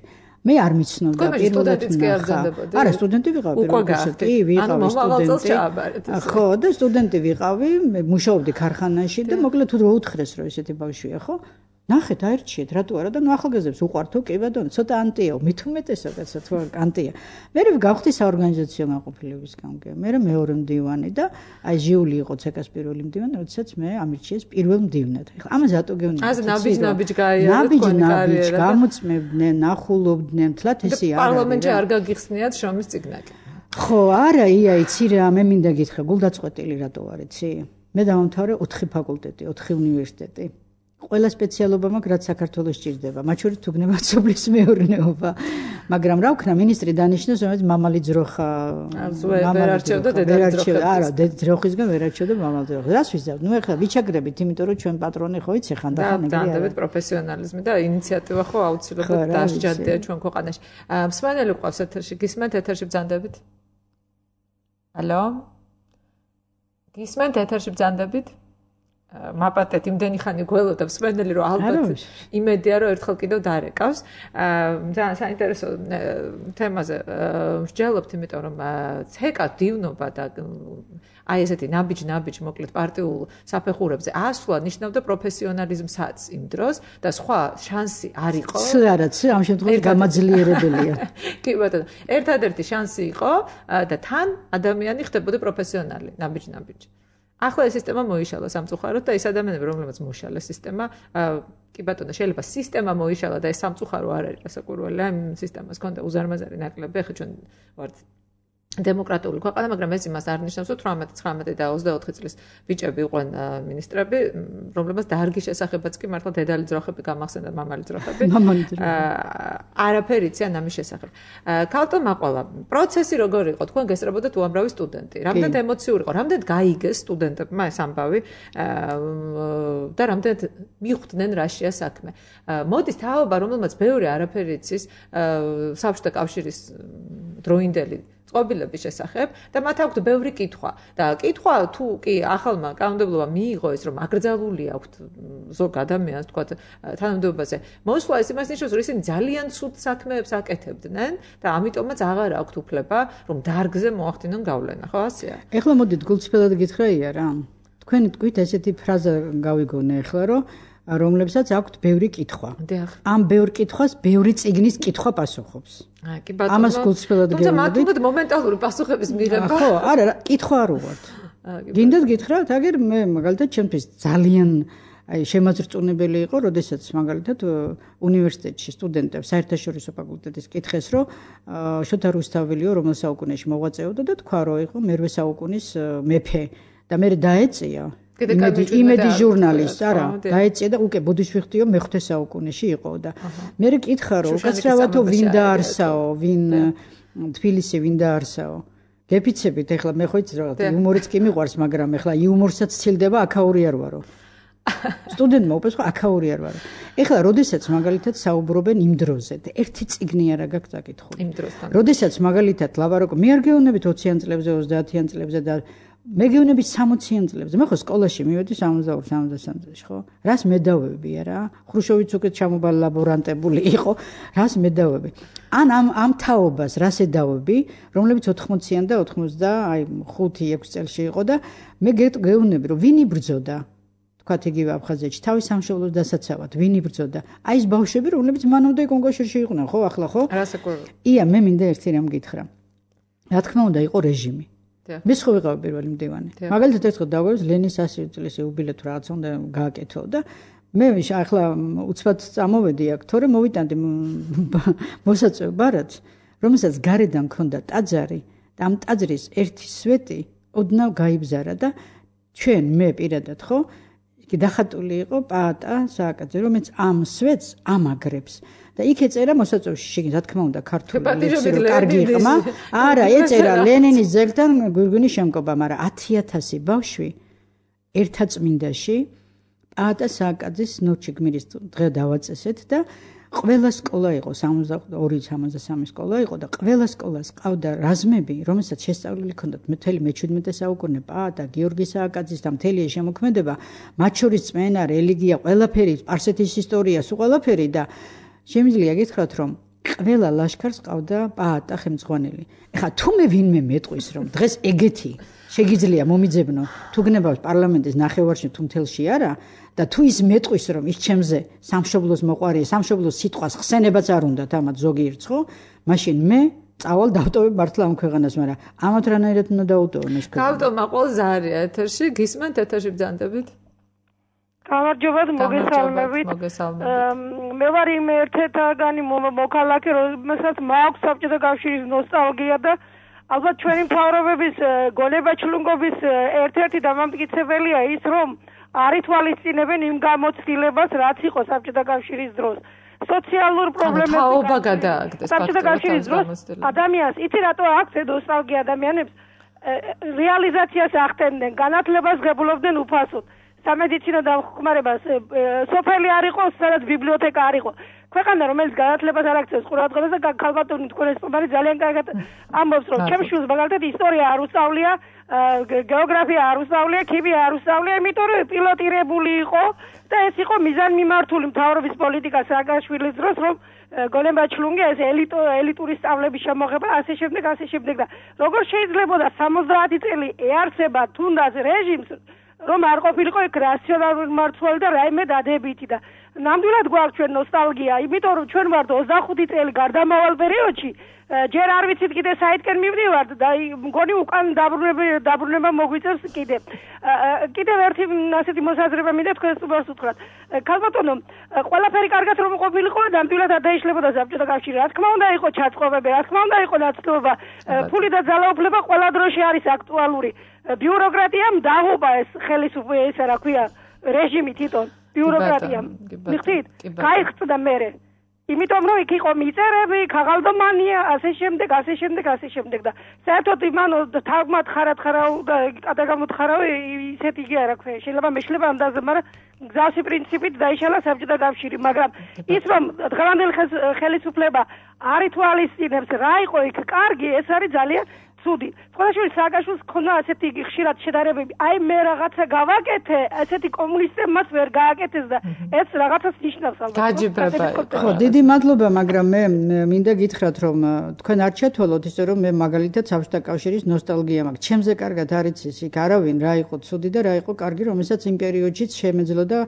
მე არ მიცნობდა პირველად ნახა. არა, სტუდენტი ვიყავი პირველად. კი, ვიყავი სტუდენტი. ხო, და სტუდენტი ვიყავი, მუშაობდი ქარხანაში და მოკლედ თუ რო უთხრეს რომ ესეთი ბავშვია, ხო? ნახეთ, აერჩიეთ, რატო არა და ნუ ახალგაზრდებს უყვართო, კი ბატონო, ცოტა ანტიაო, მით უმეტესად კაცო, თუ ანტია. მე გავხდი საორგანიზაციო განყოფილებისგან, მე მეორე მდივანი და აი ჟიული იყო ცეკას პირველი მდივანი, როდესაც მე ამირჩიეს პირველ მდივნად. ეხლა ამაზე რატო გეუბნები? ასე ნაბიჯ-ნაბიჯ გაიარა თქვენი კარიერა. გამოწმებდნენ, ნახულობდნენ, თლათ ესე არა. პარლამენტში არ გაგიხსნიათ შრომის წიგნაკი. ხო, არა, ია, იცი რა, მე მინდა გითხრა, გულდაწყვეტილი რატო ვარ, იცი? მე დავამთავრე ოთხი ფაკულტეტი, ოთხი უნივერსიტეტი. ყველა სპეციალობა მაქვს, რაც საქართველოს სჭირდება. მათ შორის თუ გნებავთ სოფლის მეურნეობა. მაგრამ რა ვქნა, მინისტრი დანიშნეს, რომელიც მამალი ძროხა. ვერ არჩევდა დედალი ძროხა. არა, ძროხისგან ვერ არჩევდა მამალი ძროხა. რას ვიზავთ? ნუ ეხლა ვიჩაგრებით, იმიტომ რომ ჩვენ პატრონი ხო იცი ხან და ხან ეგრე. დანდებით პროფესიონალიზმი და ინიციატივა ხო აუცილებლად დასჯადია ჩვენ ქვეყანაში. მსმენელი ყავს ეთერში, გისმენთ ეთერში ბრძანდებით? ალო? გისმენთ ეთერში ბრძანდებით? მაპატეთ იმდენი ხანი გველოდა მსმენელი რომ ალბათ იმედია რომ ერთხელ კიდევ დარეკავს. ძალიან საინტერესო თემაზე ვსჯელობთ, იმიტომ რომ ცეკა დივნობა და აი ესეთი ნაბიჯ-ნაბიჯ მოკლედ პარტიულ საფეხურებზე ასვლა ნიშნავდა პროფესიონალიზმსაც იმ დროს და სხვა შანსი არ იყო. ც არა, ც ამ შემთხვევაში გამაძლიერებელია. კი ბატონო, ერთადერთი შანსი იყო და თან ადამიანი ხდებოდა პროფესიონალი, ნაბიჯ-ნაბიჯ. ახლა ეს სისტემა მოიშალა სამწუხაროდ და ეს ადამიანები, რომლებიც მოიშალა სისტემა, კი ბატონო, შეიძლება სისტემა მოიშალა და ეს სამწუხარო არ არის გასაკვირველი, ამ სისტემას ჰქონდა უზარმაზარი ნაკლები, ახლა ჩვენ ვართ დემოკრატიული ქვეყანა, მაგრამ ეს იმას არ ნიშნავს, რომ თვრამეტი, ცხრამეტი და ოცდაოთხი წლის ბიჭები იყვნენ მინისტრები, რომლებსაც დარგის შესახებაც კი მართლა დედალი ძროხები გამახსენდა, მამალი ძროხები. მამალი ძროხები. არაფერი იციან ამის შესახებ. ქალტო მაყვალა, პროცესი როგორი იყო? თქვენ გესწრებოდათ უამრავი სტუდენტი. რამდენად ემოციური იყო? რამდენად გაიგეს სტუდენტებმა ეს ამბავი და რამდენად მიხვდნენ რაშია საქმე? მოდის თაობა, რომელმაც ბევრი არაფერი იცის საბჭოთა კავშირის დროინდელი წყობილების შესახებ და მათ აქვთ ბევრი კითხვა და კითხვა თუ კი ახალმა კანონმდებლობამ მიიღო ეს რომ აკრძალული აქვთ ზოგ ადამიანს თქვა თანამდებობაზე მოსვლა ეს იმას ნიშნავს რომ ისინი ძალიან ცუდ საქმეებს აკეთებდნენ და ამიტომაც აღარ აქვთ უფლება რომ დარგზე მოახდინონ გავლენა ხო ასეა ეხლა მოდით გულწრფელად გითხრაია რა თქვენი თქვით ესეთი ფრაზა გავიგონე ეხლა რომ რომლებსაც აქვთ ბევრი კითხვა. ამ ბევრ კითხვას ბევრი წიგნის კითხვა პასუხობს. აი, კი ბატონო. ამას გულწრფელად გეუბნებით. თუმცა მათ უნდა მომენტალური პასუხების მიღება. ხო, არა, კითხვა არ უვართ. გინდათ გითხრათ, აგერ მე მაგალითად ჩემთვის ძალიან აი შემაძრწუნებელი იყო, როდესაც მაგალითად უნივერსიტეტში სტუდენტებს საერთაშორისო ფაკულტეტის კითხეს, რომ შოთა რუსთაველიო რომელ საუკუნეში მოღვაწეობდა და თქვა, რომ იყო მერვე საუკუნის მეფე და მე დაეწია იმედი ჟურნალისტ, არა, დაეწია და უკვე ბუდიშვიხტიო მეხუთე საუკუნეში იყო და მე კითხა რომ უკაცრავათო ვინ დაარსაო, ვინ თბილისი ვინ დაარსაო. გეფიცებით ეხლა მე ხო იცი რა, იუმორიც კი მიყვარს, მაგრამ ეხლა იუმორსაც ცილდება აქაური არ ვარო. სტუდენტმა უპეს ხო აქაური არ ვარო. ეხლა როდესაც მაგალითად საუბრობენ იმ დროზე და ერთი წიგნი არა გაქვს საკითხული. იმ დროსთან. როდესაც მაგალითად ლავაროკო მე არ გეუბნებით ოციან წლებზე, ოცდაათიან წლებზე და მე გეუბნები სამოციან წლებზე. მე ხო სკოლაში მივედი სამოცდაორი სამოცდასამ წელს, ხო? რას მე დავები არა? ხრუშოვიც უკვე ჩამობალი ლაბორანტებული იყო. რას მე დავები? ან ამ ამ თაობას რას ედავები, რომლებიც ოთხმოციან და ოთხმოცდა, აი ხუთი ექვსი წელში იყო და მე გეუბნები, რომ ვინ იბრძოდა? თქვათ იგივე აფხაზეთში, თავის სამშობლოს დასაცავად, ვინ იბრძოდა? აი ეს ბავშვები, რომლებიც მანამდე კონგოშერში იყვნენ, ხო, ახლა ხო? არასაკურველი. ია, მე მინდა ერთი რამ გითხრა. რა თქმა უნდა, იყო რეჟიმი. მე ხო ვიყავი პირველი მდივანი. მაგალითად ერთხელ დაგვევს ლენის ასი წლის იუბილეთ რაღაც უნდა გააკეთო და მე ახლა უცბად წამოვედი აქ, თორე მოვიტანდი მოსაწვევ ბარათს, რომელსაც გარედან მქონდა ტაძარი და ამ ტაძრის ერთი სვეტი ოდნავ გაიბზარა და ჩვენ მე პირადად ხო კი დახატული იყო პაატა სააკაძე, რომელიც ამ სვეტს ამაგრებს. და იქ ეწერა მოსაწვევში შეგინ რა თქმა უნდა ქართული ლექსი კარგი ყმა არა ეწერა ლენინის ძეგლთან გვირგვინის შემკობა მაგრამ ათი ათასი ბავშვი ერთაწმინდაში პაატა სააკაძის ნოჩი გმირის დღე დავაწესეთ და ყველა სკოლა იყო სამოცდაორი სამოცდასამი სკოლა იყო და ყველა სკოლას ყავდა რაზმები რომელსაც შესწავლილი ჰქონდათ მთელი მეჩვიდმეტე საუკუნე პაატა გიორგი სააკაძის და მთელი ეს შემოქმედება მათ შორის წმენა რელიგია ყველაფერი სპარსეთის ისტორია სულ ყველაფერი და შემიძლია გითხრათ რომ ყველა ლაშქარს ყავდა პაატა ხელმძღვანელი. ეხლა თუ მე ვინმე მეტყვის რომ დღეს ეგეთი შეგიძლია მომიძებნო თუ გნებავს პარლამენტის ნახევარში თუ მთელში არა და თუ ის მეტყვის რომ ის ჩემზე სამშობლოს მოყვარია, სამშობლოს სიტყვას ხსენებაც არ უნდათ ამათ ზოგიერთ ხო? მაშინ მე წავალ დავტოვებ მართლა ამ ქვეყანას, მაგრამ ამათ რანაირად უნდა დავტოვო ეს ქვეყანა. გავტო მაყვალ ზარია ეთერში, გისმენთ ეთერში ბრძანდებით? გამარჯობათ, მოგესალმებით. მე ვარ იმ ერთ-ერთგანი მოქალაქე, რომელსაც მაქვს საბჭოთა კავშირის ნოსტალგია და ალბათ ჩვენი მთავრობების გონება ჩლუნგობის ერთ-ერთი დამამტკიცებელია ის, რომ არ ითვალისწინებენ იმ გამოცდილებას, რაც იყო საბჭოთა კავშირის დროს. სოციალურ პრობლემებს თაობა გადააგდეს საბჭოთა კავშირის დროს ადამიანს იცი რატო აქვს ნოსტალგია ადამიანებს რეალიზაციას ახდენდნენ, განათლებას ღებულობდნენ უფასოდ. სამედიცინო დამხმარებას სოფელი არ იყო, სადაც ბიბლიოთეკა არ იყო. ქვეყანა რომელიც განათლებას არ აქცევს ყურადღებას და ქალბატონი თქვენ ეს პომარი ძალიან კარგად ამბობს რომ ჩემს შვილს მაგალითად ისტორია არ უსწავლია, გეოგრაფია არ უსწავლია, ქიმია არ უსწავლია, იმიტომ რომ პილოტირებული იყო და ეს იყო მიზანმიმართული მთავრობის პოლიტიკა სააკაშვილის დროს რომ გოლემბაჩლუნგი ეს ელიტო ელიტური სწავლების შემოღება ასე შემდეგ ასე შემდეგ და როგორ შეიძლება სამოცდაათი წელი ეარსება თუნდაც რეჟიმს რომ არ ყოფილიყო იქ რაციონალური მმართველი და რაიმე დადებითი და ნამდვილად გვაქვს ჩვენ ნოსტალგია, იმიტომ რომ ჩვენ ვართ ოცდახუთი წელი გარდამავალ პერიოდში, ჯერ არ ვიცით კიდე საითკენ მივდივართ და მგონი უკან დაბრუნება დაბრუნება მოგვიწევს კიდე. კიდევ ერთი ასეთი მოსაზრება მინდა თქვენს უბრალოდ უთხრათ. ქალბატონო, ყველაფერი კარგად რომ ყოფილიყო, ნამდვილად არ დაიშლებოდა საბჭოთა კავშირი. რა თქმა უნდა იყო ჩაწყობები, რა თქმა უნდა იყო ნაცნობობა, ფული და ძალაუფლება ყველა დროში არის აქტუალური. ბიუროკრატიამ დაღუპა ეს ხელისუფლება, ესა რა ქვია, რეჟიმი თვითონ. ბიუროკრატიამ მიხდით გაიხსნა მერე იმიტომ რომ იქ იყო მიწერები ქაღალდომანია ასე შემდეგ ასე შემდეგ ასე შემდეგ და საერთოდ იმან თალგმად ხარათხარავ და გადაგამოთხარავ ისეთი იგი არა ქვია შეიძლება მეშლება ამდაზე მაგრამ გზავსი პრინციპით დაიშალა საბჭოთა კავშირი მაგრამ ის რომ დღევანდელი ხელისუფლება არ ითვალისწინებს რა იყო იქ კარგი ეს არის ძალიან ცუდი. Სხვადასხვა სააკაშვილს ქონდა ასეთი ხშირად შედარებები. აი მე რაღაცა გავაკეთე, ასეთი კომუნისტებმა მას ვერ გააკეთეს და ეს რაღაცას ნიშნავს ალბათ. გაჯიბრება. ხო, დიდი მადლობა, მაგრამ მე მინდა გითხრათ, რომ თქვენ არ ჩათვალოთ ისე რომ მე მაგალითად საბჭოთა კავშირის ნოსტალგია მაქვს. ჩემზე კარგად არ იცის იქ არავინ რა იყო ცუდი და რა იყო კარგი, რომელსაც იმ პერიოდშიც შემეძლო და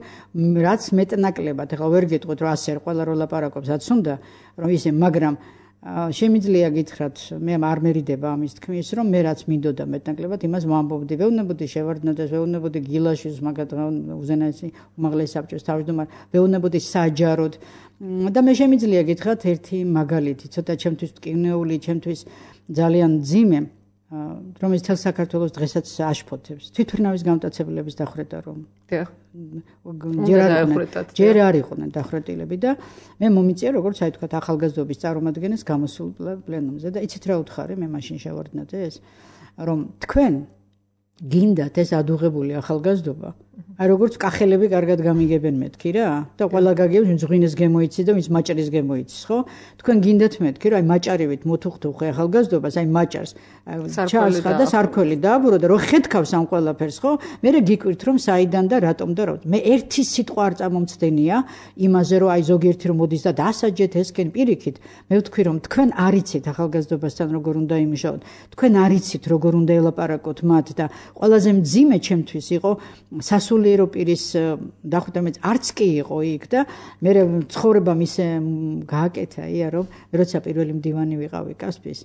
რაც მეტნაკლებად. ეხლა ვერ გეტყვით რომ ასე ყველა რო ლაპარაკობს, რაც უნდა, რომ ისე, მაგრამ შემიძლია გითხრათ, მე არ მერიდება ამის თქმის, რომ მე რაც მინდოდა მეტნაკლებად, იმას ვამბობდი, ვეუბნებოდი შევარდნაძეს, ვეუბნებოდი გილაშვილს, მაგათგან უზენაესი უმაღლესი საბჭოს თავმჯდომარე, ვეუბნებოდი საჯაროდ და მე შემიძლია გითხრათ ერთი მაგალითი, ცოტა ჩემთვის მტკივნეული, ჩემთვის ძალიან ძიმე, რომელიც თელ საქართველოს დღესაც აშფოთებს. თვითმფრინავის გამტაცებლების დახრეტა რომ. დიახ. ჯერ არ იყვნენ დახრეტილები და მე მომიწია როგორც აი თქვა ახალგაზრდობის წარმომადგენელს გამოსულ პლენუმზე და იცით რა უთხარი მე მაშინ შევარდნაძე ეს რომ თქვენ გინდათ ეს ადუღებული ახალგაზრდობა აი როგორც კახელები კარგად გამიგებენ მეთქი რა და ყველა გაგიებს ვინც ღვინეს გემოიცი და ვინც მაჭარის გემოიცის ხო თქვენ გინდათ მეთქი რომ აი მაჭარივით მოთუხთუხე ახალგაზრდობას აი მაჭარს ჩაასხა და სარქველი დააბურო და რო ხეთქავს ამ ყველაფერს ხო მე გიკვირთ რომ საიდან და რატომ და რა მე ერთი სიტყვა არ წარმომცდენია იმაზე რომ აი ზოგიერთი რომ მოდის და დასაჯეთ ესკენ პირიქით მე ვთქვი რომ თქვენ არ იცით ახალგაზრდობასთან როგორ უნდა იმუშაოთ თქვენ არ იცით როგორ უნდა ელაპარაკოთ მათ და ყველაზე მძიმე ჩემთვის იყო სასულიერო პირის დახვდამეც არც კი იყო იქ და მე ცხოვრება მისე გააკეთა ია რომ როცა პირველი მდივანი ვიყავი კასპის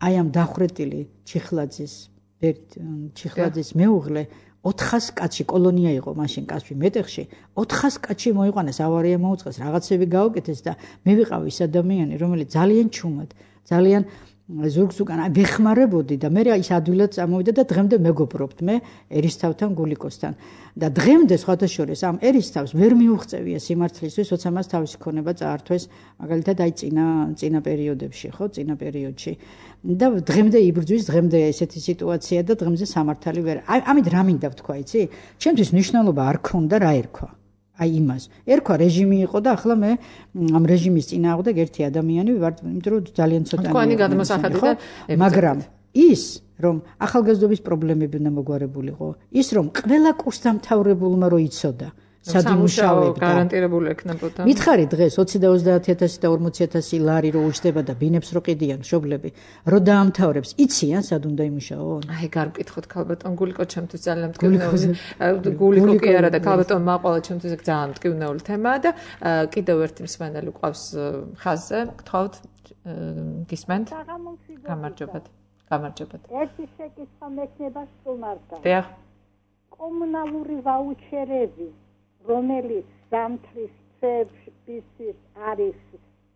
აი ამ დახრეტილი ჩიხლაძის ჩიხლაძის მეუღლე ოთხას კაცი კოლონია იყო მაშინ კასპი მეტეხში ოთხას კაცი მოიყვანეს ავარია მოუწყეს რაღაცები გაუკეთეს და მე ვიყავი ის ადამიანი რომელიც ძალიან ჩუმად ძალიან ზურგს უკან ვეხმარებოდი და მე ის ადვილად წამოვიდა და დღემდე მეგობრობთ მე ერისთავთან გულიკოსთან და დღემდე სხვათა შორის ამ ერისთავს ვერ მიუღწევია სიმართლისთვის როცა მას თავისი ქონება წაართვეს მაგალითად აი წინა წინა პერიოდებში ხო წინა პერიოდში და დღემდე იბრძვის დღემდე ესეთი სიტუაცია და დღემდე სამართალი ვერ ამით რა მინდა ვთქვა იცი ჩემთვის მნიშვნელობა არ ქონდა რა ერქვა აი იმას. ერქვა რეჟიმი იყო და ახლა მე ამ რეჟიმის წინააღმდეგ ერთი ადამიანი ვარ, იმიტომ რომ ძალიან ცოტა თქვენი გადმოსახადი და მაგრამ ის რომ ახალგაზრდობის პრობლემები უნდა მოგვარებულიყო, ის რომ ყველა კურსდამთავრებულმა რო იცოდა სადიმუშავებდა გარანტირებული ექნებოდა. მითხარი დღეს ოცი და ოცდაათი ათასი და ორმოცი ათასი ლარი რო უჯდება და ბინებს რო ყიდიან მშობლები, რო დაამთავრებს, იციან სად უნდა იმუშაონ? აი გარკვითხოთ ქალბატონ გულიკო ჩემთვის ძალიან მტკივნეული. გულიკო კი არა და ქალბატონ მაყვალა ჩემთვის ძალიან მტკივნეული თემაა და კიდევ ერთი მსმენელი ყავს ხაზზე. გთხოვთ გისმენთ? გამარჯობათ. გამარჯობათ. ერთი შეკითხვა მექნება სტუმართან. დიახ. კომუნალური ვაუჩერები რომელიც ზამთრის წლებში არის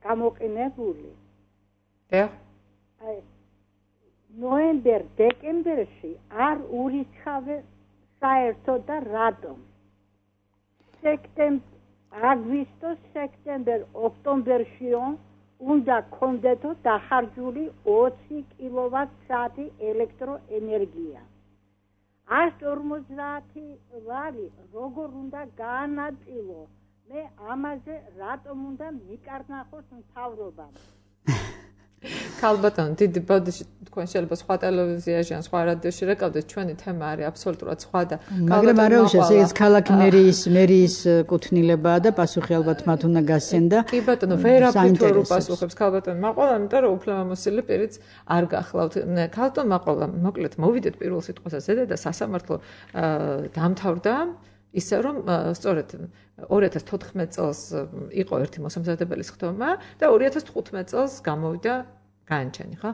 გამოყენებული. დიახ. აი ნოემბერ-დეკემბერში არ ურიცხავენ საერთოდ და რატომ? სექტემბერ აგვისტოს სექტემბერ ოქტომბერშიო უნდა კონდეთო დახარჯული ოცი კილოვატ-საათი ელექტროენერგია. ას ორმოცდაათი ვარი როგორ უნდა გაანაწილო? მე ამაზე რატომ უნდა მიკარნახოს მთავრობამ? ქალბატონო, დიდი ბოდიში თქვენ შეიძლება სხვა ტელევიზიაში ან სხვა რადიოში რეკავდეთ, ჩვენი თემა არის აბსოლუტურად სხვა და მაგრამ არა უშავს ეს ქალაქი მერიის მერიის კუთვნილებაა და პასუხი ალბათ მათ უნდა გასცენ და კი ბატონო, ვერაფრით ვერ უპასუხებს ქალბატონო მაყოლა, იმიტომ რომ უფლებამოსილი პირიც არ გახლავთ. ქალბატონო მაყოლა, მოკლედ მოვიდეთ პირველ სიტყვასაც ზედა და სასამართლო დამთავრდა ისე რომ სწორედ ორი ათას თოთხმეტ წელს იყო ერთი მოსამზადებელი სხდომა და ორი ათას თხუთმეტ წელს გამოვიდა განჩენი, ხო?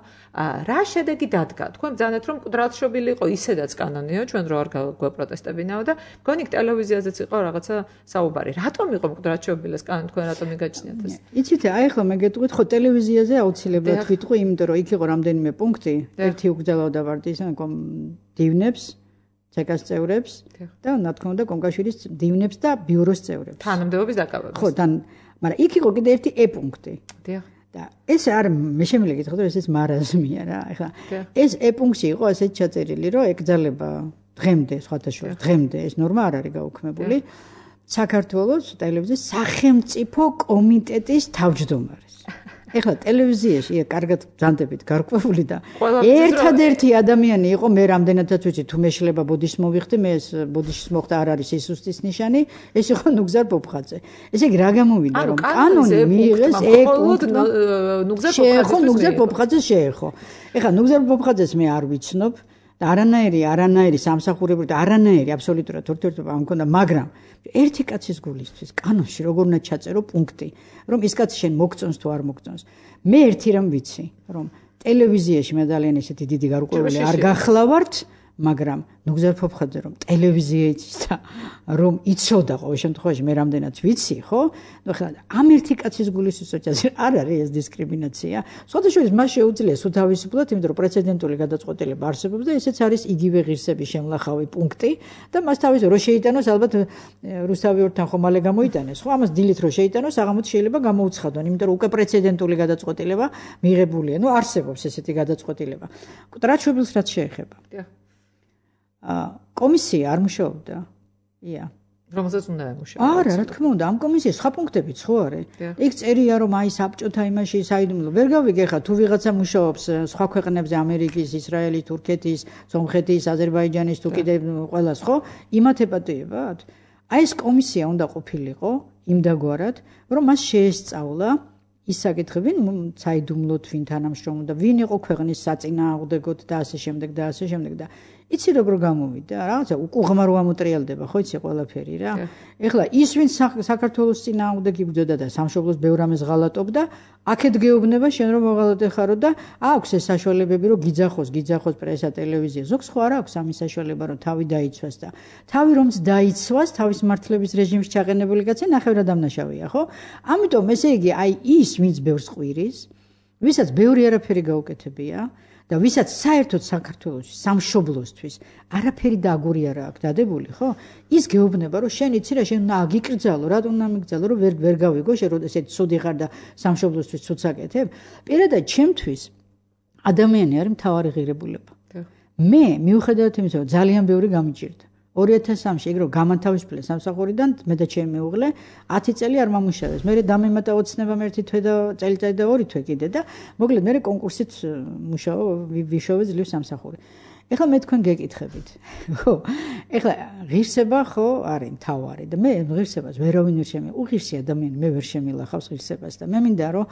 რა შედეგი დადგა? თქვენ ბრძანეთ რომ მკვდრადშობილი იყო, ისედაც კანონიო, ჩვენ რო არ გვეპროტესტებინაო და მგონი ტელევიზიაზეც იყო რაღაცა საუბარი. რატომ იყო მკვდრადშობილი ეს კანონი, თქვენ რატომ მიგაჩნიათ ეს? იცით, აი ახლა მე გეტყვით, ხო ტელევიზიაზე აუცილებლად ვიტყვი, იმიტომ რომ იქ იყო რამდენიმე პუნქტი, ერთი უგზავნოდა ვარდის დივნებს ცეკას წევრებს და რა თქმა უნდა კონკავშირის დივნებს და ბიუროს წევრებს. თანამდებობის დაკავებას. ხო, თან, მაგრამ იქ იყო კიდე ერთი E პუნქტი. დიახ. და ეს არ მე შემიძლია გითხრათ, რომ ეს მარაზმია რა. ეხლა ეს E პუნქტი იყო ასეთ ჩაწერილი, რომ ეკძალება დღემდე, სხვათა შორის, დღემდე ეს ნორმა არ არის გაუქმებული. საქართველოს ტელევიზიის სახელმწიფო კომიტეტის თავმჯდომარეს. ეხლა ტელევიზიაში კარგად ბრძანდებით გარკვეული და ერთადერთი ადამიანი იყო მე რამდენადაც ვიცი თუ მე შეიძლება ბოდიშს მოვიხდი მე ეს ბოდიშს მოხდა არ არის სისუსტის ნიშანი ეს იყო ნუგზარ პოპხაძე ესე იგი რა გამოვიდა რომ კანონი მიიღეს ეკო ნუგზარ პოპხაძეს შეეხო ეხლა ნუგზარ პოპხაძეს მე არ ვიცნობ და არანაირი არანაირი სამსახურებრივი და არანაირი აბსოლუტურად ურთიერთობა არ მქონდა მაგრამ ერთი კაცის გულისთვის კანონში როგორ უნდა ჩაწერო პუნქტი რომ ის კაცი შენ მოგწონს თუ არ მოგწონს მე ერთი რამ ვიცი რომ ტელევიზიაში მე ძალიან ესეთი დიდი გარკვეული არ გახლავართ მაგრამ ნუგზარ პოპხაძე რომ ტელევიზიაში და რომ იცოდა ყოველ შემთხვევაში მე რამდენად ვიცი ხო ნუ ხა ამ ერთი კაცის გულისთვის ოჩაზე არ არის ეს დისკრიმინაცია სხვადასხვა მას შეუძლია სულ თავისუფლად იმიტომ რომ პრეცედენტული გადაწყვეტილება არსებობს და ესეც არის იგივე ღირსების შემლახავი პუნქტი და მას თავის რო შეიტანოს ალბათ რუსთავი ორთან ხომალე გამოიტანეს ხო ამას დილით რო შეიტანოს საღამოც შეიძლება გამოუცხადონ იმიტომ რომ უკვე პრეცედენტული გადაწყვეტილება მიღებულია ნუ არსებობს ესეთი გადაწყვეტილება კუტრაჩობილს რაც შეეხება კომისია არ მუშაობდა. ია. რომელსაც უნდა ემუშავა. არა, რა თქმა უნდა, ამ კომისიის სხვა პუნქტებიც ხო არის? იქ წერია რომ აი საბჭოთა იმაში საიდუმლო. ვერ გავიგე ხა თუ ვიღაცა მუშაობს სხვა ქვეყნებზე, ამერიკის, ისრაელის, თურქეთის, სომხეთის, აზერბაიჯანის თუ კიდე ყველას ხო? იმათ ეპატიებათ? აი ეს კომისია უნდა ყოფილიყო იმდაგვარად, რომ მას შეესწავლა ის საკითხები, საიდუმლოდ ვინ თანამშრომლობდა, ვინ იყო ქვეყნის საწინააღმდეგოდ და ასე შემდეგ და ასე შემდეგ და იცი როგორ გამოვიდა რაღაცა უკუღმა რო ამოტრიალდება ხო იცი ყველაფერი რა ეხლა ის ვინ საქართველოს წინააღმდეგ იბრძოდა და სამშობლოს ბევრ ამას ღალატობდა აქეთ გეუბნება შენ რომ მოღალატე ხარო და აქვს ეს საშუალებები რომ გიძახოს გიძახოს პრესა ტელევიზია ზოგს ხო არ აქვს ამის საშუალება რომ თავი დაიცვას და თავი რომც დაიცვას თავის მართლების რეჟიმში ჩაყენებული კაცი ნახევრად დამნაშავეა ხო ამიტომ ესე იგი აი ის ვინც ბევრს ყვირის ვისაც ბევრი არაფერი გაუკეთებია და ვისაც საერთოდ საქართველოში სამშობლოსთვის არაფერი და აგური არა აქვს დადებული ხო ის გეუბნება რომ შენ იცი რა შენ უნდა აგიკრძალო რატომ უნდა მიგძალო რომ ვერ ვერ გავიგო შენ რომ ესეთი ცუდი ხარ და სამშობლოსთვის ცუდს აკეთებ პირადად ჩემთვის ადამიანი არის მთავარი ღირებულება მე მიუხედავად იმისა რომ ძალიან ბევრი გამიჭირდა ორი ათას სამში ეგ რომ გამანთავისუფლე სამსახურიდან მე და ჩემი მეუღლე ათი წელი არ მომუშავეს. მე დამემატა ოცნებამ ერთი თვე და წელიწადი და ორი თვე კიდე და მოკლედ მე კონკურსით მუშაო ვიშოვე ძლივ სამსახური. ეხლა მე თქვენ გეკითხებით. ხო? ეხლა ღირსება ხო არის თავარი და მე ღირსებას ვერავინ ვერ შემი. უღირსი ადამიანი მე ვერ შემილახავს ღირსებას და მე მინდა რომ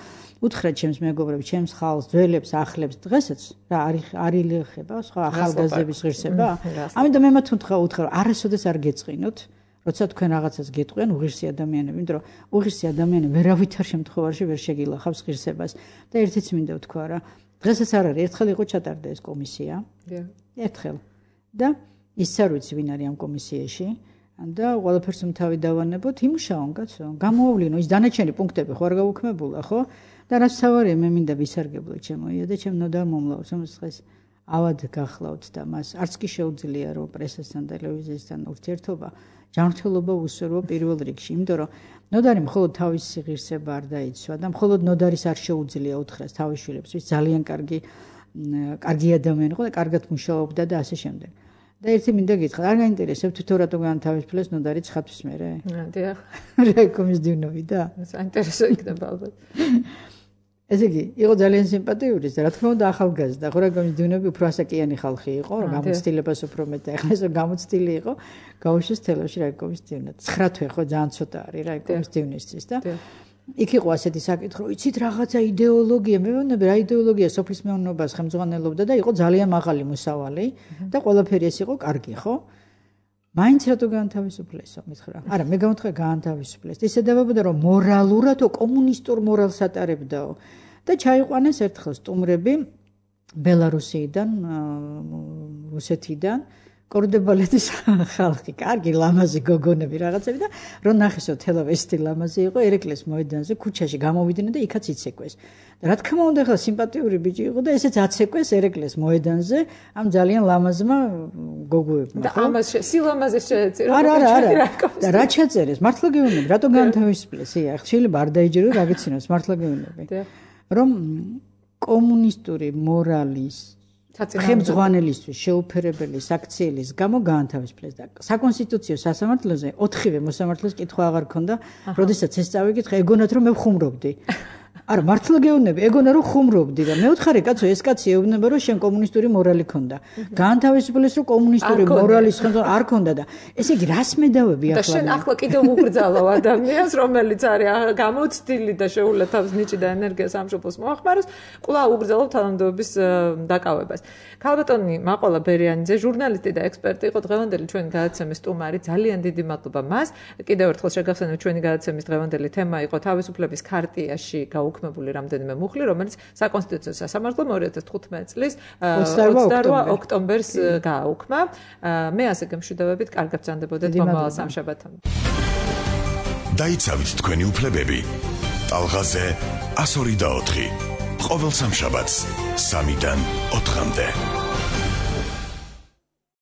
უთხრათ ჩემს მეგობრებს, ჩემს ხალხს, ძველებს, ახლებს დღესაც რა არის არილიხება სხვა ახალგაზრდების ღირსება. ამიტომ მე მათ უთხრა უთხრა არასოდეს არ გეწყინოთ. როცა თქვენ რაღაცას გეტყვიან უღირსი ადამიანები, იმიტომ რომ უღირსი ადამიანი ვერავითარ შემთხვევაში ვერ შეგილახავს ღირსებას და ერთიც მინდა ვთქვა რა დღესაც არ არის ერთხელ იყო ჩატარდა ეს კომისია. ერთხელ. და ის არ ვიცი ვინ არის ამ კომისიაში და ყველაფერს თავი დავანებოთ იმუშაონ კაცო. გამოავლინო ის დანარჩენი პუნქტები ხო არ გაუქმებულა ხო? და რაც თავარია მე მინდა ვისარგებლო ჩემოია და ჩემ ნოდარ მომლავს რომ დღეს ავად გახლავთ და მას არც კი შეუძლია რომ პრესასთან ტელევიზიასთან ურთიერთობა ჯანმრთელობა უსურვო პირველ რიგში, იმიტომ რომ ნოდარი მხოლოდ თავისი ღირსება არ დაიცვა და მხოლოდ ნოდარის არ შეუძლია უთხრას თავის შვილებს, ვის ძალიან კარგი კარგი ადამიანი იყო და კარგად მუშაობდა და ასე შემდეგ. და ერთი მინდა გითხრათ, არ გაინტერესებთ თვითონ რატო განთავისუფლეს ნოდარი ცხადთვის მერე? დიახ. რეკომის დივნები და? საინტერესო იქნება ალბათ. ესე იგი, იყო ძალიან სიმპათიური და რა თქმა უნდა ახალგაზრდა, ხო რეკომის დივნები უფრო ასაკიანი ხალხი იყო, რომ გამოცდილებას უფრო მეტ და ეხლა ეს გამოცდილი იყო, გაუშვეს თელავში რეკომის დივნად. ცხრა თვე ხო ძალიან ცოტა არის რეკომის დივნისთვის და იქ იყო ასეთი საკითხი, რომ იცით რაღაცა იდეოლოგია, მე ვამბობ რა იდეოლოგია სოფლის მეურნეობას ხელმძღვანელობდა და იყო ძალიან მაღალი მოსავალი და ყველაფერი ეს იყო კარგი, ხო? მაინც რატო განთავისუფლესო, მითხრა. არა, მე გამოვთხრა განთავისუფლეს. ისე დავაბოდა რომ მორალურად კომუნისტურ მორალს ატარებდაო და ჩაიყვანეს ერთხელ სტუმრები ბელარუსიიდან, რუსეთიდან კორდებალეთის ხალხი, კარგი ლამაზი გოგონები რაღაცები და რომ ნახესო თელავესტი ლამაზი იყო ერეკლეს მოედანზე ქუჩაში გამოვიდნენ და იქაც იცეკვეს. და რა თქმა უნდა ხა სიმპათიური ბიჭი იყო და ესეც აცეკვეს ერეკლეს მოედანზე ამ ძალიან ლამაზმა გოგოებმა. და ამას სილამაზე შეეწირო. არა, არა, არა. და რა ჩაწერეს? მართლა გეუბნები, რატო განთავისუფლეს? ია, შეიძლება არ დაიჯერო გაგიცინოს, მართლა გეუბნები. რომ კომუნისტური მორალის ხელმძღვანელისთვის შეუფერებელი საქციელის გამო გაანთავისუფლეს და საკონსტიტუციო სასამართლოზე ოთხივე მოსამართლეს კითხვა აღარ ქონდა, როდესაც ეს წავიკითხე, ეგონათ რომ მე ხუმრობდი. არა, მართლა გეუბნები, ეგონა რომ ხუმრობდი და მეოთხარე კაცო, ეს კაცი ეუბნება რომ შენ კომუნისტური მორალი ქონდა. გაანთავისუფლეს რომ კომუნისტური მორალის ხონდა არ ქონდა და ესე იგი რას მედავები ახლა? და შენ ახლა კიდევ უგრძალო ადამიანს, რომელიც არის გამოცდილი და შეულა თავს ნიჭი და ენერგიას ამშობლოს მოახმაროს, კვლავ უგრძალო თანამდებობის დაკავებას. ქალბატონი მაყოლა ბერიანიძე, ჟურნალისტი და ექსპერტი იყო დღევანდელი ჩვენი გადაცემის სტუმარი. ძალიან დიდი მადლობა მას. კიდევ ერთხელ შეგახსენებ, ჩვენი გადაცემის დღევანდელი თემა იყო თავისუფლების ქარტიაში გაუქმებული რამდენიმე მუხლი, რომელიც საკონსტიტუციო სასამართლომ ორი ათას თხუთმეტი წლის ოცდაოთხ ოქტომბერს გააუქმა. მე ასე გემშვიდობებით, კარგად ბრძანდებოდეთ მომავალ სამშაბათამდე. დაიცავით თქვენი უფლებები. ტალღაზე ასორი და ოთხი. ყოველ სამშაბათს სამიდან ოთხამდე.